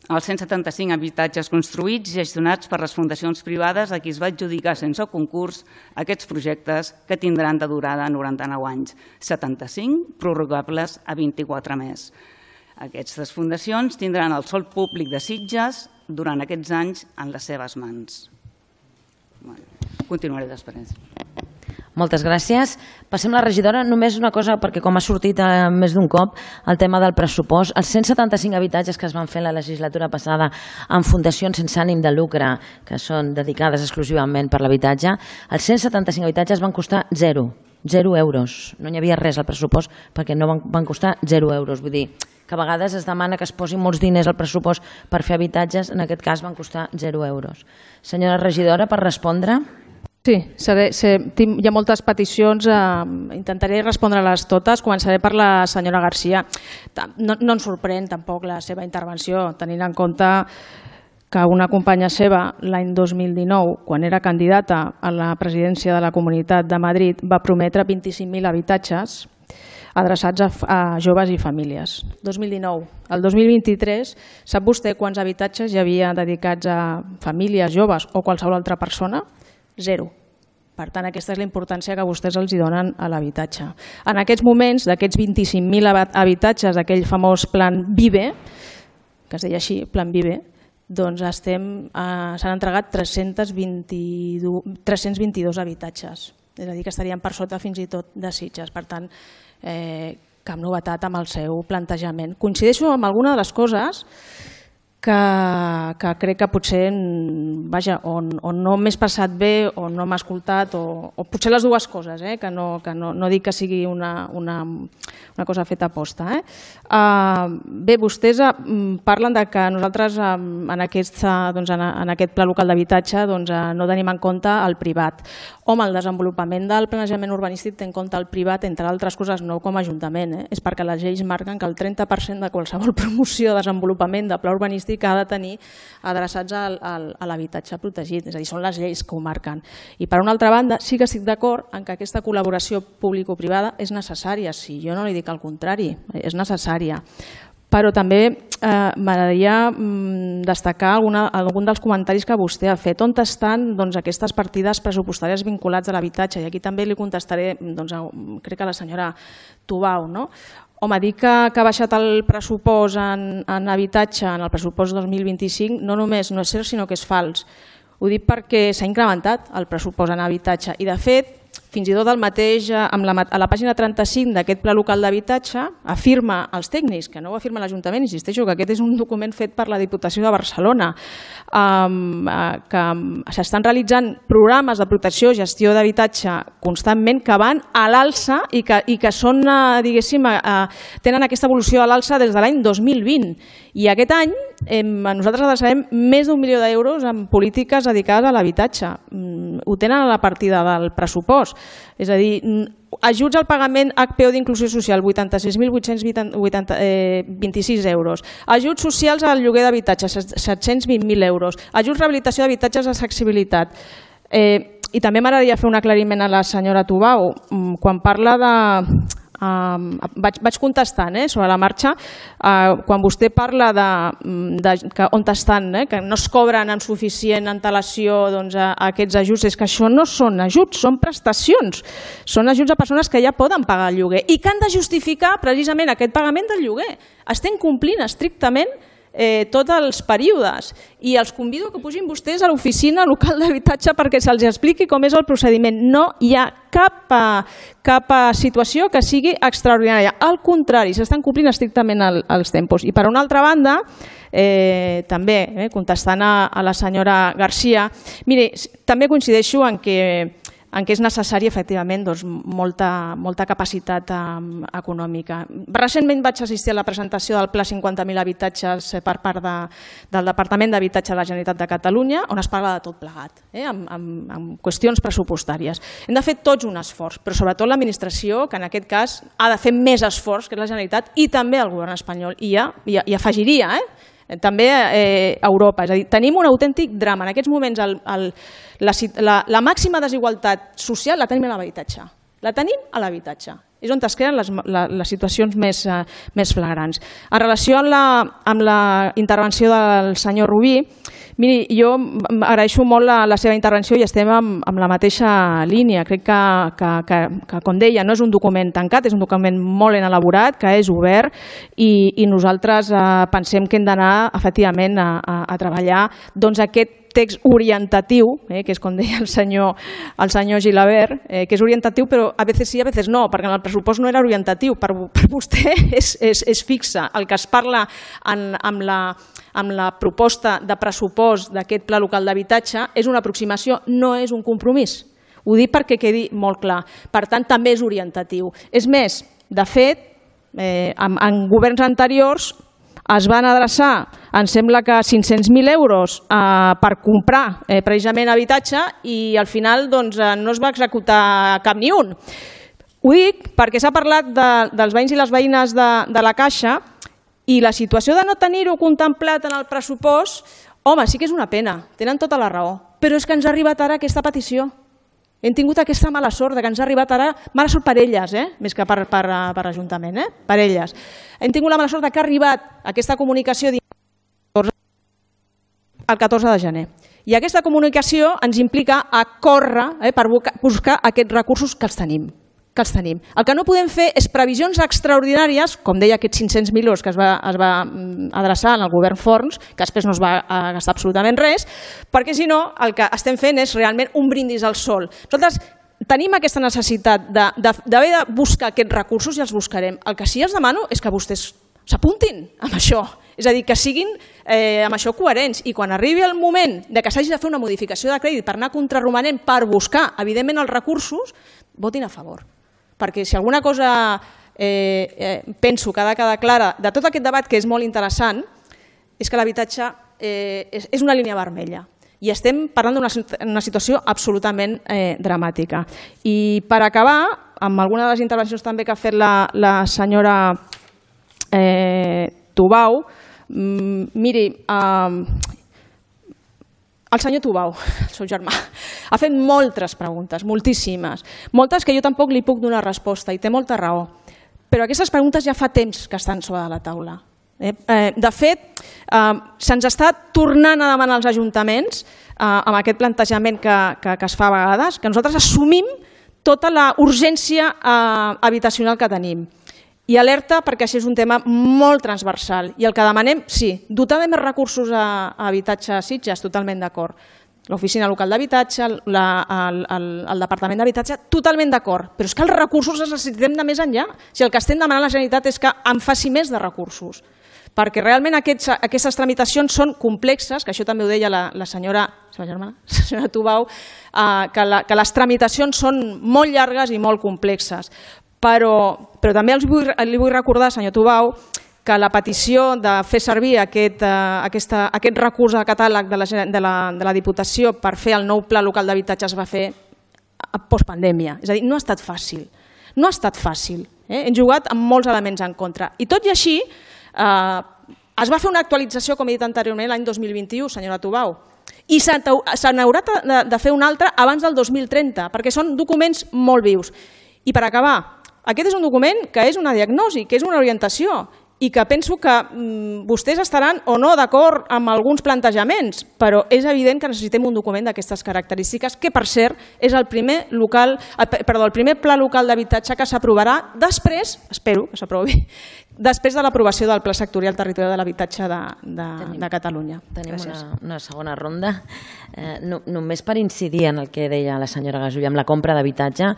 [SPEAKER 8] Els cent setanta-cinc habitatges construïts i gestionats per les fundacions privades a qui es va adjudicar sense concurs aquests projectes que tindran de durada noranta-nou anys, setanta-cinc prorrogables a vint-i-quatre més. Aquestes fundacions tindran el sòl públic de Sitges durant aquests anys en les seves mans. Continuaré després.
[SPEAKER 1] Moltes gràcies. Passem a la regidora. Només una cosa, perquè com ha sortit més d'un cop el tema del pressupost, els cent setanta-cinc habitatges que es van fer la legislatura passada en fundacions sense ànim de lucre, que són dedicades exclusivament per l'habitatge, els cent setanta-cinc habitatges van costar zero, zero euros. No hi havia res al pressupost perquè no van, van costar zero euros. Vull dir que a vegades es demana que es posin molts diners al pressupost per fer habitatges, en aquest cas van costar zero euros. Senyora regidora, per respondre...
[SPEAKER 2] Sí, seré, seré, tinc, hi ha moltes peticions, eh, intentaré respondre-les totes. Començaré per la senyora Garcia. No, no ens sorprèn tampoc la seva intervenció, tenint en compte que una companya seva l'any dos mil dinou, quan era candidata a la presidència de la Comunitat de Madrid, va prometre vint-i-cinc mil habitatges adreçats a, a joves i famílies. dos mil dinou. El dos mil vint-i-tres, sap vostè quants habitatges hi havia dedicats a famílies, joves o qualsevol altra persona? Zero. Per tant, aquesta és la importància que vostès els hi donen a l'habitatge. En aquests moments, d'aquests vint-i-cinc mil habitatges, aquell famós Plan Vive, que es deia així, Plan Vive, doncs estem, eh, s'han entregat tres-cents vint-i-dos habitatges. És a dir, que estarien per sota fins i tot de Sitges. Per tant, eh, cap novetat amb el seu plantejament. Coincideixo amb alguna de les coses que, que crec que potser vaja, o, o no m'he expressat bé o no m'ha escoltat, o, o potser les dues coses, eh? que, no, que no, no dic que sigui una, una, una cosa feta a posta. Eh? Uh, bé, vostès uh, parlen de que nosaltres uh, en, aquest, uh, doncs en, en aquest pla local d'habitatge doncs, uh, no tenim en compte el privat. Home, el desenvolupament del planejament urbanístic té en compte el privat, entre altres coses, no com a ajuntament. Eh? És perquè les lleis marquen que el trenta per cent de qualsevol promoció de desenvolupament de pla urbanístic ha de tenir adreçats al, al, a l'habitatge protegit, és a dir, són les lleis que ho marquen. I per una altra banda, sí que estic d'acord en que aquesta col·laboració público-privada és necessària, sí, jo no li dic el contrari, és necessària. Però també eh, m'agradaria mm, destacar alguna, algun dels comentaris que vostè ha fet. On estan doncs, aquestes partides pressupostàries vinculades a l'habitatge? I aquí també li contestaré, doncs, a, crec que a la senyora Tubau, no? Home, dir que, que ha baixat el pressupost en, en habitatge en el pressupost dos mil vint-i-cinc no només no és cert, sinó que és fals. Ho dic perquè s'ha incrementat el pressupost en habitatge i, de fet, fins i tot el mateix, amb la, a la pàgina trenta-cinc d'aquest pla local d'habitatge, afirma els tècnics, que no ho afirma l'Ajuntament, insisteixo que aquest és un document fet per la Diputació de Barcelona, um, que s'estan realitzant programes de protecció i gestió d'habitatge constantment que van a l'alça i que, i que són, diguéssim, tenen aquesta evolució a l'alça des de l'any dos mil vint. I aquest any nosaltres adreçarem més d'un milió d'euros en polítiques dedicades a l'habitatge. Ho tenen a la partida del pressupost. És a dir, ajuts al pagament H P O d'inclusió social, vuitanta-sis mil vuit-cents vint-i-sis euros. Ajuts socials al lloguer d'habitatge, set-cents vint mil euros. Ajuts rehabilitació d'habitatges d'accessibilitat. Eh, I també m'agradaria fer un aclariment a la senyora Tubau. Quan parla de... Uh, vaig, vaig contestant eh, sobre la marxa, uh, quan vostè parla de, de que on estan, eh, que no es cobren en suficient antelació doncs, a, a aquests ajuts, és que això no són ajuts, són prestacions, són ajuts a persones que ja poden pagar el lloguer i que han de justificar precisament aquest pagament del lloguer. Estem complint estrictament Eh, tots els períodes i els convido que pugin vostès a l'oficina local d'habitatge perquè se'ls expliqui com és el procediment. No hi ha cap, cap situació que sigui extraordinària. Al contrari, s'estan complint estrictament el, els tempos. I per una altra banda, eh, també eh, contestant a, a la senyora Garcia, mire, també coincideixo en que en què és necessària, efectivament, doncs, molta, molta capacitat um, econòmica. Recentment vaig assistir a la presentació del Pla cinquanta mil habitatges per part de, del Departament d'Habitatge de la Generalitat de Catalunya, on es parla de tot plegat, eh, amb, amb, amb qüestions pressupostàries. Hem de fer tots un esforç, però sobretot l'administració, que en aquest cas ha de fer més esforç que la Generalitat i també el govern espanyol. I ja, ja, ja afegiria, eh? també eh, Europa. És a dir, tenim un autèntic drama. En aquests moments el, el, la, la, la màxima desigualtat social la tenim a l'habitatge. La tenim a l'habitatge. És on es creen les, la, les situacions més, eh, més flagrants. En relació amb la, amb la intervenció del senyor Rubí, miri, jo agraeixo molt la, la seva intervenció i estem amb, amb la mateixa línia. Crec que, que, que, que, com deia, no és un document tancat, és un document molt ben elaborat, que és obert i, i nosaltres eh, pensem que hem d'anar efectivament a, a, a treballar doncs, aquest text orientatiu, eh, que és com deia el senyor, el senyor Gilabert, eh, que és orientatiu però a vegades sí, a vegades no, perquè en el pressupost no era orientatiu, per, per vostè és, és, és fixe. El que es parla en, amb, la, amb la proposta de pressupost d'aquest pla local d'habitatge és una aproximació, no és un compromís. Ho dic perquè quedi molt clar. Per tant, també és orientatiu. És més, de fet, eh, en, en governs anteriors es van adreçar, em sembla que cinc-cents mil euros eh, per comprar eh, precisament habitatge i al final doncs, eh, no es va executar cap ni un. Ho dic perquè s'ha parlat de, dels veïns i les veïnes de, de la Caixa i la situació de no tenir-ho contemplat en el pressupost, home, sí que és una pena, tenen tota la raó, però és que ens ha arribat ara aquesta petició. Hem tingut aquesta mala sort de que ens ha arribat ara, mala sort per elles, eh? més que per, per, per Ajuntament, eh? per elles. Hem tingut la mala sort de que ha arribat aquesta comunicació el catorze de gener. I aquesta comunicació ens implica a córrer eh, per buscar aquests recursos que els tenim. que els tenim. El que no podem fer és previsions extraordinàries, com deia aquests cinc-cents mil euros que es va, es va adreçar al govern Forns, que després no es va gastar absolutament res, perquè si no el que estem fent és realment un brindis al sol. Nosaltres tenim aquesta necessitat d'haver de, de buscar aquests recursos i els buscarem. El que sí els demano és que vostès s'apuntin amb això, és a dir, que siguin eh, amb això coherents i quan arribi el moment de que s'hagi de fer una modificació de crèdit per anar contraromanent per buscar, evidentment, els recursos, votin a favor. Perquè si alguna cosa eh, eh, penso que ha de quedar clara de tot aquest debat, que és molt interessant, és que l'habitatge eh, és, és una línia vermella. I estem parlant d'una situació absolutament eh, dramàtica. I per acabar, amb alguna de les intervencions també que ha fet la, la senyora eh, Tubau, mm, miri, eh, el senyor Tubau, el seu germà, ha fet moltes preguntes, moltíssimes, moltes que jo tampoc li puc donar resposta i té molta raó. Però aquestes preguntes ja fa temps que estan sobre la taula. Eh? Eh, de fet, eh, se'ns està tornant a demanar als ajuntaments, eh, amb aquest plantejament que, que, que es fa a vegades, que nosaltres assumim tota la urgència eh, habitacional que tenim. I alerta perquè això és un tema molt transversal i el que demanem, sí, dotar de més recursos a, a habitatge a Sitges, totalment d'acord. L'oficina local d'habitatge, el, el, el departament d'habitatge, totalment d'acord, però és que els recursos els necessitem de més enllà. Si el que estem demanant a la Generalitat és que en faci més de recursos, perquè realment aquests, aquestes tramitacions són complexes, que això també ho deia la, la senyora, la germana, la senyora Tubau, eh, que, la, que les tramitacions són molt llargues i molt complexes. Però, però també els vull, li vull recordar, senyor Tubau, que la petició de fer servir aquest, eh, aquesta, aquest recurs de catàleg de la, de, la, de la Diputació per fer el nou pla local d'habitatge es va fer a postpandèmia. És a dir, no ha estat fàcil. No ha estat fàcil. Eh? Hem jugat amb molts elements en contra. I tot i així, eh, es va fer una actualització, com he dit anteriorment, l'any dos mil vint-i-u, senyora Tubau, i se n'haurà de, de fer una altra abans del dos mil trenta, perquè són documents molt vius. I per acabar, aquest és un document que és una diagnosi, que és una orientació, i que penso que mm, vostès estaran o no d'acord amb alguns plantejaments, però és evident que necessitem un document d'aquestes característiques, que per cert és el primer, local, perdó, el primer pla local d'habitatge que s'aprovarà després, espero que s'aprovi, després de l'aprovació del Pla Sectorial Territorial de l'Habitatge de, de, tenim, de Catalunya.
[SPEAKER 1] Tenim una, una segona ronda. Eh, no, només per incidir en el que deia la senyora Gasulla amb la compra d'habitatge,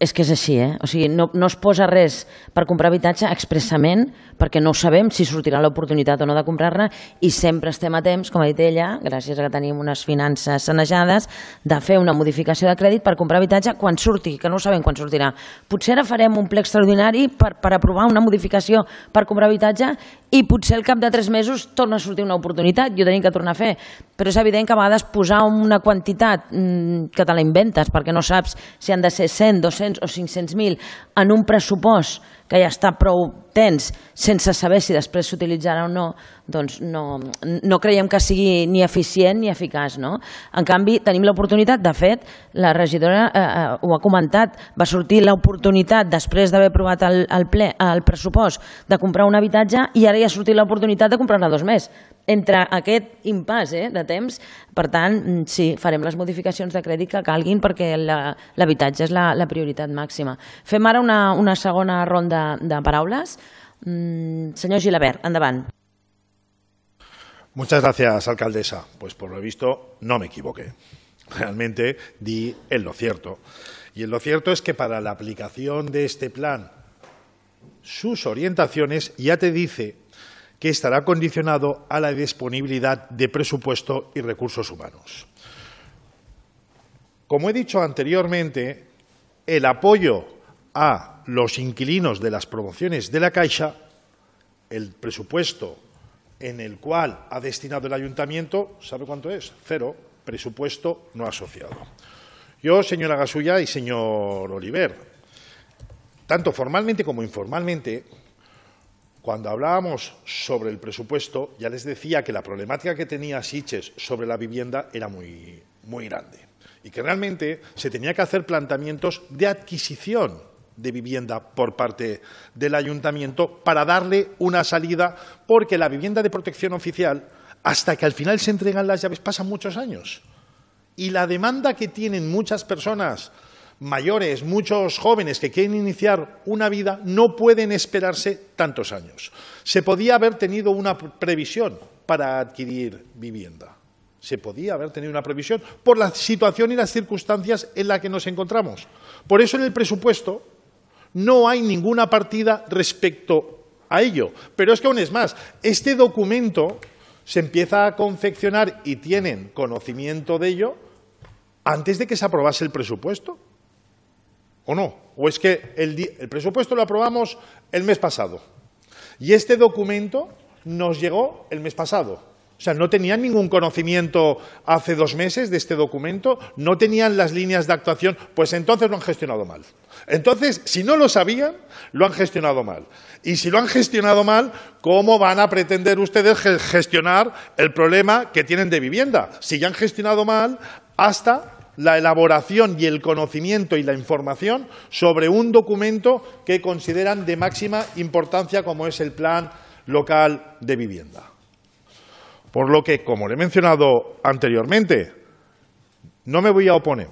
[SPEAKER 1] és que és així, eh? O sigui, no, no es posa res per comprar habitatge expressament perquè no sabem si sortirà l'oportunitat o no de comprar-ne i sempre estem a temps, com ha dit ella, gràcies a que tenim unes finances sanejades, de fer una modificació de crèdit per comprar habitatge quan surti, que no sabem quan sortirà. Potser ara farem un ple extraordinari per, per aprovar una modificació per comprar habitatge i potser al cap de tres mesos torna a sortir una oportunitat i ho tenim que tornar a fer. Però és evident que a vegades posar una quantitat mmm, que te la inventes perquè no saps si han de ser cent, dos-cents o cinc-cents mil en un pressupost que ja està prou tens sense saber si després s'utilitzarà o no, doncs no, no creiem que sigui ni eficient ni eficaç. No? En canvi, tenim l'oportunitat, de fet, la regidora eh, eh, ho ha comentat, va sortir l'oportunitat després d'haver aprovat el, el, ple, el pressupost de comprar un habitatge i ara ja ha sortit l'oportunitat de comprar-ne dos més. Entre aquest impàs eh, de temps, per tant, sí, farem les modificacions de crèdit que calguin perquè l'habitatge és la, la prioritat màxima. Fem ara una, una segona ronda de paraules. Mm, señor Gilabert, endavant.
[SPEAKER 5] Muchas gracias, alcaldesa. Pues por lo visto no me equivoqué. Realmente di en lo cierto. Y en lo cierto es que para la aplicación de este plan, sus orientaciones ya te dice que estará condicionado a la disponibilidad de presupuesto y recursos humanos. Como he dicho anteriormente, el apoyo a los inquilinos de las promociones de la Caixa, el presupuesto en el cual ha destinado el ayuntamiento, ¿sabe cuánto es? Cero, presupuesto no asociado. Yo, señora Gasulla y señor Oliver, tanto formalmente como informalmente, cuando hablábamos sobre el presupuesto, ya les decía que la problemática que tenía Sitges sobre la vivienda era muy, muy grande y que realmente se tenía que hacer planteamientos de adquisición de vivienda por parte del ayuntamiento para darle una salida, porque la vivienda de protección oficial, hasta que al final se entregan las llaves, pasan muchos años. Y la demanda que tienen muchas personas mayores, muchos jóvenes que quieren iniciar una vida, no pueden esperarse tantos años. Se podía haber tenido una previsión para adquirir vivienda. Se podía haber tenido una previsión por la situación y las circunstancias en las que nos encontramos. Por eso en el presupuesto no hay ninguna partida respecto a ello. Pero es que aún es más, este documento se empieza a confeccionar y tienen conocimiento de ello antes de que se aprobase el presupuesto. ¿O no? ¿O es que el, el presupuesto lo aprobamos el mes pasado y este documento nos llegó el mes pasado? O sea, no tenían ningún conocimiento hace dos meses de este documento, no tenían las líneas de actuación, pues entonces lo han gestionado mal. Entonces, si no lo sabían, lo han gestionado mal. Y si lo han gestionado mal, ¿cómo van a pretender ustedes gestionar el problema que tienen de vivienda? Si ya han gestionado mal hasta la elaboración y el conocimiento y la información sobre un documento que consideran de máxima importancia como es el Plan Local de Vivienda. Por lo que, como le he mencionado anteriormente, no me voy a oponer.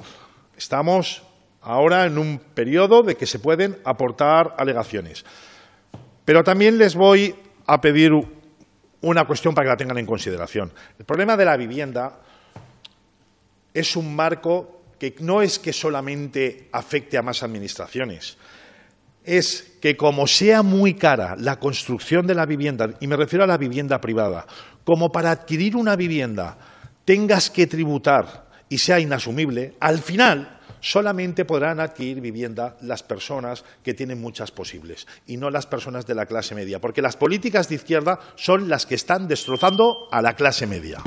[SPEAKER 5] Estamos ahora en un periodo de que se pueden aportar alegaciones. Pero también les voy a pedir una cuestión para que la tengan en consideración. El problema de la vivienda es un marco que no es que solamente afecte a más administraciones. Es que como sea muy cara la construcción de la vivienda, y me refiero a la vivienda privada, como para adquirir una vivienda tengas que tributar y sea inasumible, al final solamente podrán adquirir vivienda las personas que tienen muchas posibles y no las personas de la clase media, porque las políticas de izquierda son las que están destrozando a la clase media.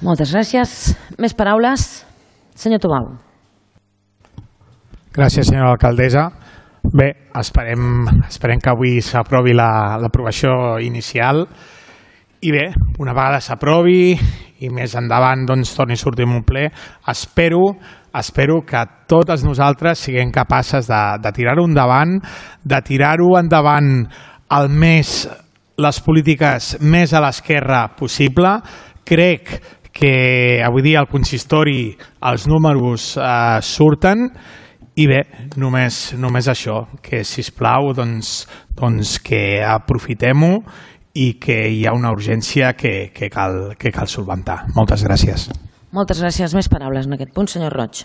[SPEAKER 1] Moltes gràcies. Més paraules? Senyor Tubau.
[SPEAKER 6] Gràcies, senyora alcaldessa. Bé, esperem, esperem que avui s'aprovi l'aprovació inicial i bé, una vegada s'aprovi i més endavant doncs, torni a sortir en un ple, espero, espero que totes nosaltres siguem capaces de, de tirar-ho endavant, de tirar-ho endavant el més, les polítiques més a l'esquerra possible. Crec que avui dia al consistori els números eh, surten i bé, només, només això, que sisplau doncs, doncs que aprofitem-ho i que hi ha una urgència que, que, cal, que cal solventar. Moltes gràcies.
[SPEAKER 1] Moltes gràcies. Més paraules en aquest punt, senyor Roig.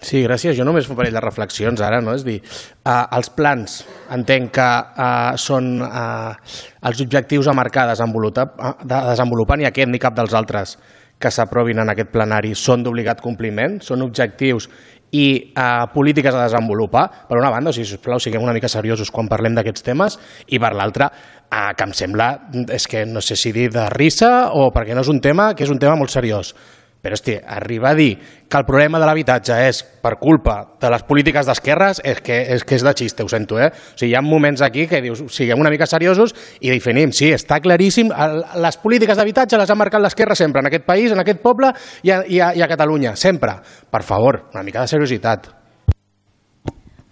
[SPEAKER 7] Sí, gràcies. Jo només un parell de reflexions ara, no? És dir, eh, els plans entenc que eh, són eh, els objectius a marcar desenvolupar, de desenvolupar ni aquest ni cap dels altres que s'aprovin en aquest plenari són d'obligat compliment, són objectius i eh, polítiques a desenvolupar, per una banda, o sigui, sisplau, siguem una mica seriosos quan parlem d'aquests temes, i per l'altra, eh, que em sembla, és que no sé si dir de risa o perquè no és un tema, que és un tema molt seriós. Però, hosti, arribar a dir que el problema de l'habitatge és per culpa de les polítiques d'esquerres és que, és que és de xiste, ho sento, eh? O sigui, hi ha moments aquí que dius, siguem una mica seriosos i definim, sí, està claríssim, les polítiques d'habitatge les ha marcat l'esquerra sempre, en aquest país, en aquest poble i a, i a, i a Catalunya, sempre. Per favor, una mica de seriositat.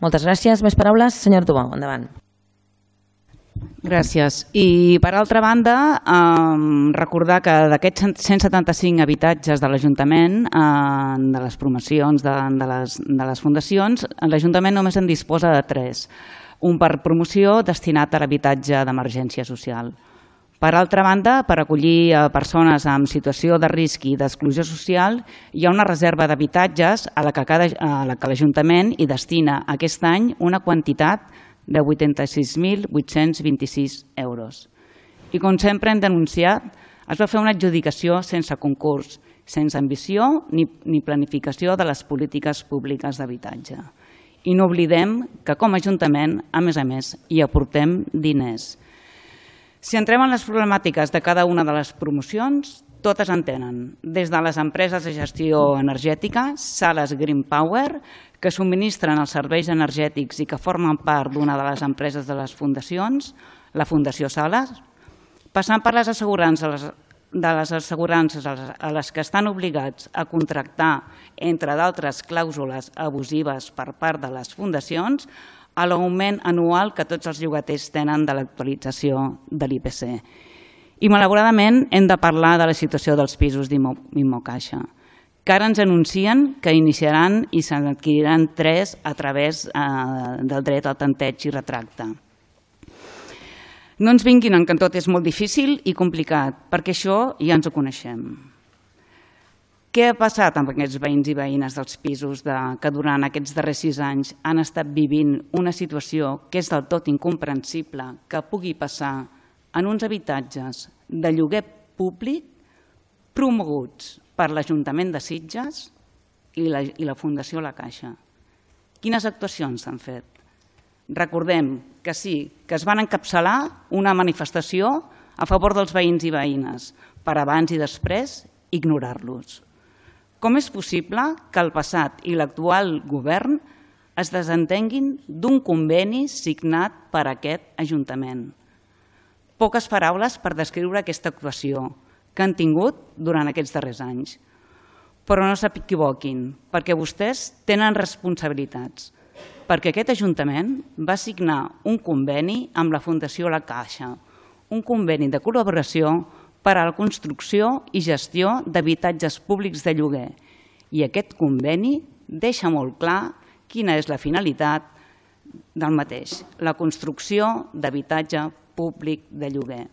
[SPEAKER 1] Moltes gràcies. Més paraules? Senyor Tubau, endavant.
[SPEAKER 8] Gràcies. I per altra banda, eh, recordar que d'aquests cent setanta-cinc habitatges de l'Ajuntament, eh, de les promocions de, de, les, de les fundacions, l'Ajuntament només en disposa de tres. Un per promoció destinat a l'habitatge d'emergència social. Per altra banda, per acollir a persones en situació de risc i d'exclusió social, hi ha una reserva d'habitatges a la que, cada, a la que l'Ajuntament hi destina aquest any una quantitat de vuitanta-sis mil vuit-cents vint-i-sis euros. I com sempre hem denunciat, es va fer una adjudicació sense concurs, sense ambició ni, ni planificació de les polítiques públiques d'habitatge. I no oblidem que com a Ajuntament, a més a més, hi aportem diners. Si entrem en les problemàtiques de cada una de les promocions, totes en tenen, des de les empreses de gestió energètica, Sales Green Power, que subministren els serveis energètics i que formen part d'una de les empreses de les fundacions, la Fundació Sales, passant per les assegurances, de les assegurances a les que estan obligats a contractar, entre d'altres clàusules abusives per part de les fundacions, a l'augment anual que tots els llogaters tenen de l'actualització de l'I P C. I malauradament hem de parlar de la situació dels pisos d'Immocaixa, que ara ens anuncien que iniciaran i se n'adquiriran tres a través eh, del dret al tanteig i retracte. No ens vinguin en que tot és molt difícil i complicat, perquè això ja ens ho coneixem. Què ha passat amb aquests veïns i veïnes dels pisos de, que durant aquests darrers sis anys han estat vivint una situació que és del tot incomprensible que pugui passar en uns habitatges de lloguer públic promoguts per l'Ajuntament de Sitges i la, i la Fundació La Caixa? Quines actuacions s'han fet? Recordem que sí, que es van encapçalar una manifestació a favor dels veïns i veïnes, per abans i després ignorar-los. Com és possible que el passat i l'actual govern es desentenguin d'un conveni signat per aquest Ajuntament? Poques paraules per descriure aquesta actuació que han tingut durant aquests darrers anys. Però no s'equivoquin, perquè vostès tenen responsabilitats, perquè aquest Ajuntament va signar un conveni amb la Fundació La Caixa, un conveni de col·laboració per a la construcció i gestió d'habitatges públics de lloguer. I aquest conveni deixa molt clar quina és la finalitat del mateix, la construcció d'habitatge públic de lloguer.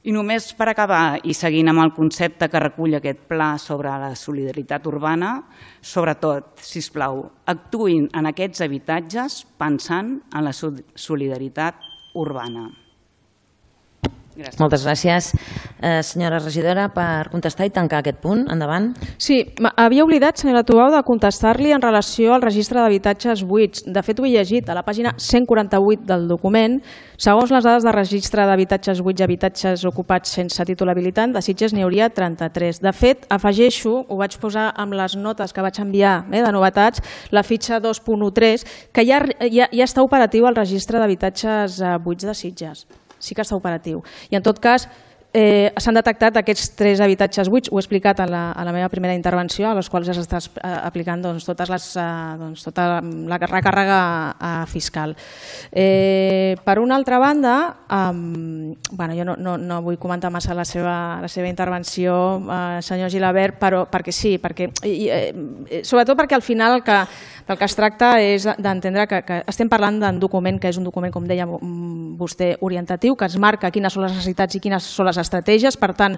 [SPEAKER 8] I només per acabar, i seguint amb el concepte que recull aquest pla sobre la solidaritat urbana, sobretot, sisplau, actuïn en aquests habitatges pensant en la solidaritat urbana. Gràcies.
[SPEAKER 1] Moltes gràcies. Eh, senyora regidora, per contestar i tancar aquest punt. Endavant.
[SPEAKER 2] Sí, havia oblidat, senyora Tubau, de contestar-li en relació al registre d'habitatges buits. De fet, ho he llegit a la pàgina cent quaranta-vuit del document. Segons les dades de registre d'habitatges buits i habitatges ocupats sense títol habilitant, de Sitges n'hi hauria trenta-tres. De fet, afegeixo, ho vaig posar amb les notes que vaig enviar eh, de novetats, la fitxa dos punt tretze, que ja, ja, ja està operatiu al registre d'habitatges eh, buits de Sitges. Sí que està operatiu. I en tot cas, eh, s'han detectat aquests tres habitatges buits, ho he explicat a la, a la meva primera intervenció, a les quals ja s'està eh, aplicant doncs, totes les, eh, doncs, tota la recàrrega eh, fiscal. Eh, per una altra banda, eh, bueno, jo no, no, no vull comentar massa la seva, la seva intervenció, eh, senyor Gilabert, però, perquè sí, perquè, i, eh, sobretot perquè al final el que, del que es tracta és d'entendre que, que estem parlant d'un document que és un document, com deia vostè, orientatiu, que es marca quines són les necessitats i quines són les estratègies. Per tant,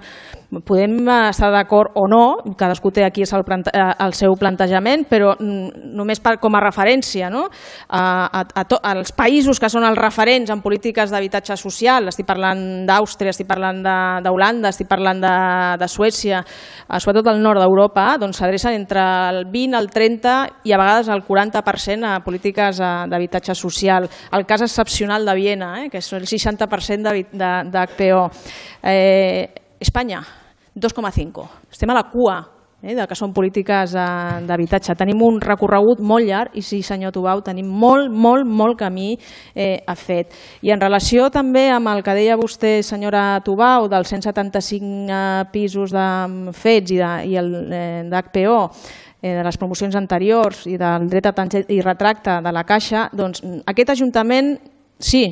[SPEAKER 2] podem estar d'acord o no, cadascú té aquí el, el seu plantejament, però només per, com a referència, no? a, a, a to, als països que són els referents en polítiques d'habitatge social, estic parlant d'Àustria, estic parlant d'Holanda, estic parlant de, de Suècia, sobretot al nord d'Europa, doncs s'adrecen entre el vint, el trenta i a vegades el quaranta per cent a polítiques d'habitatge social. El cas excepcional de Viena, eh, que és el seixanta per cent d'H P O. Eh, Espanya, dos coma cinc. Estem a la cua eh, de que són polítiques eh, d'habitatge. Tenim un recorregut molt llarg i sí, senyor Tubau, tenim molt, molt, molt camí eh, a fet. I en relació també amb el que deia vostè, senyora Tubau, dels cent setanta-cinc eh, pisos de fets i, de, i el eh, d'H P O, de les promocions anteriors i del dret a tanteig i retracte de la Caixa, doncs aquest Ajuntament sí,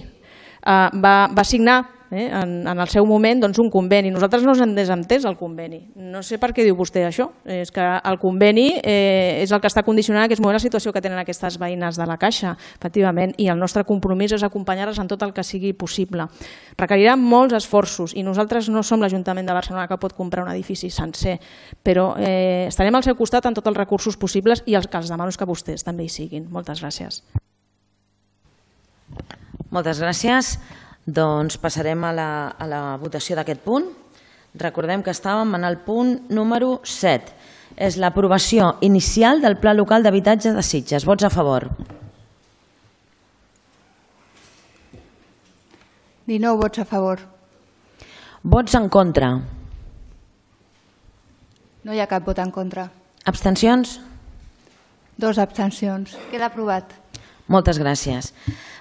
[SPEAKER 2] va, va signar eh, en, en el seu moment doncs, un conveni. Nosaltres no ens hem desentès el conveni. No sé per què diu vostè això. És que el conveni eh, és el que està condicionant en aquest moment la situació que tenen aquestes veïnes de la Caixa, efectivament, i el nostre compromís és acompanyar-les en tot el que sigui possible. Requerirà molts esforços i nosaltres no som l'Ajuntament de Barcelona que pot comprar un edifici sencer, però eh, estarem al seu costat en tots els recursos possibles i els que els demano és que vostès també hi siguin. Moltes gràcies.
[SPEAKER 1] Moltes gràcies. Doncs passarem a la, a la votació d'aquest punt. Recordem que estàvem en el punt número set. És l'aprovació inicial del Pla Local d'Habitatge de Sitges. Vots a favor.
[SPEAKER 9] dinou vots a favor.
[SPEAKER 1] Vots en contra.
[SPEAKER 9] No hi ha cap vot en contra.
[SPEAKER 1] Abstencions?
[SPEAKER 9] Dos abstencions. Queda aprovat.
[SPEAKER 1] Moltes gràcies.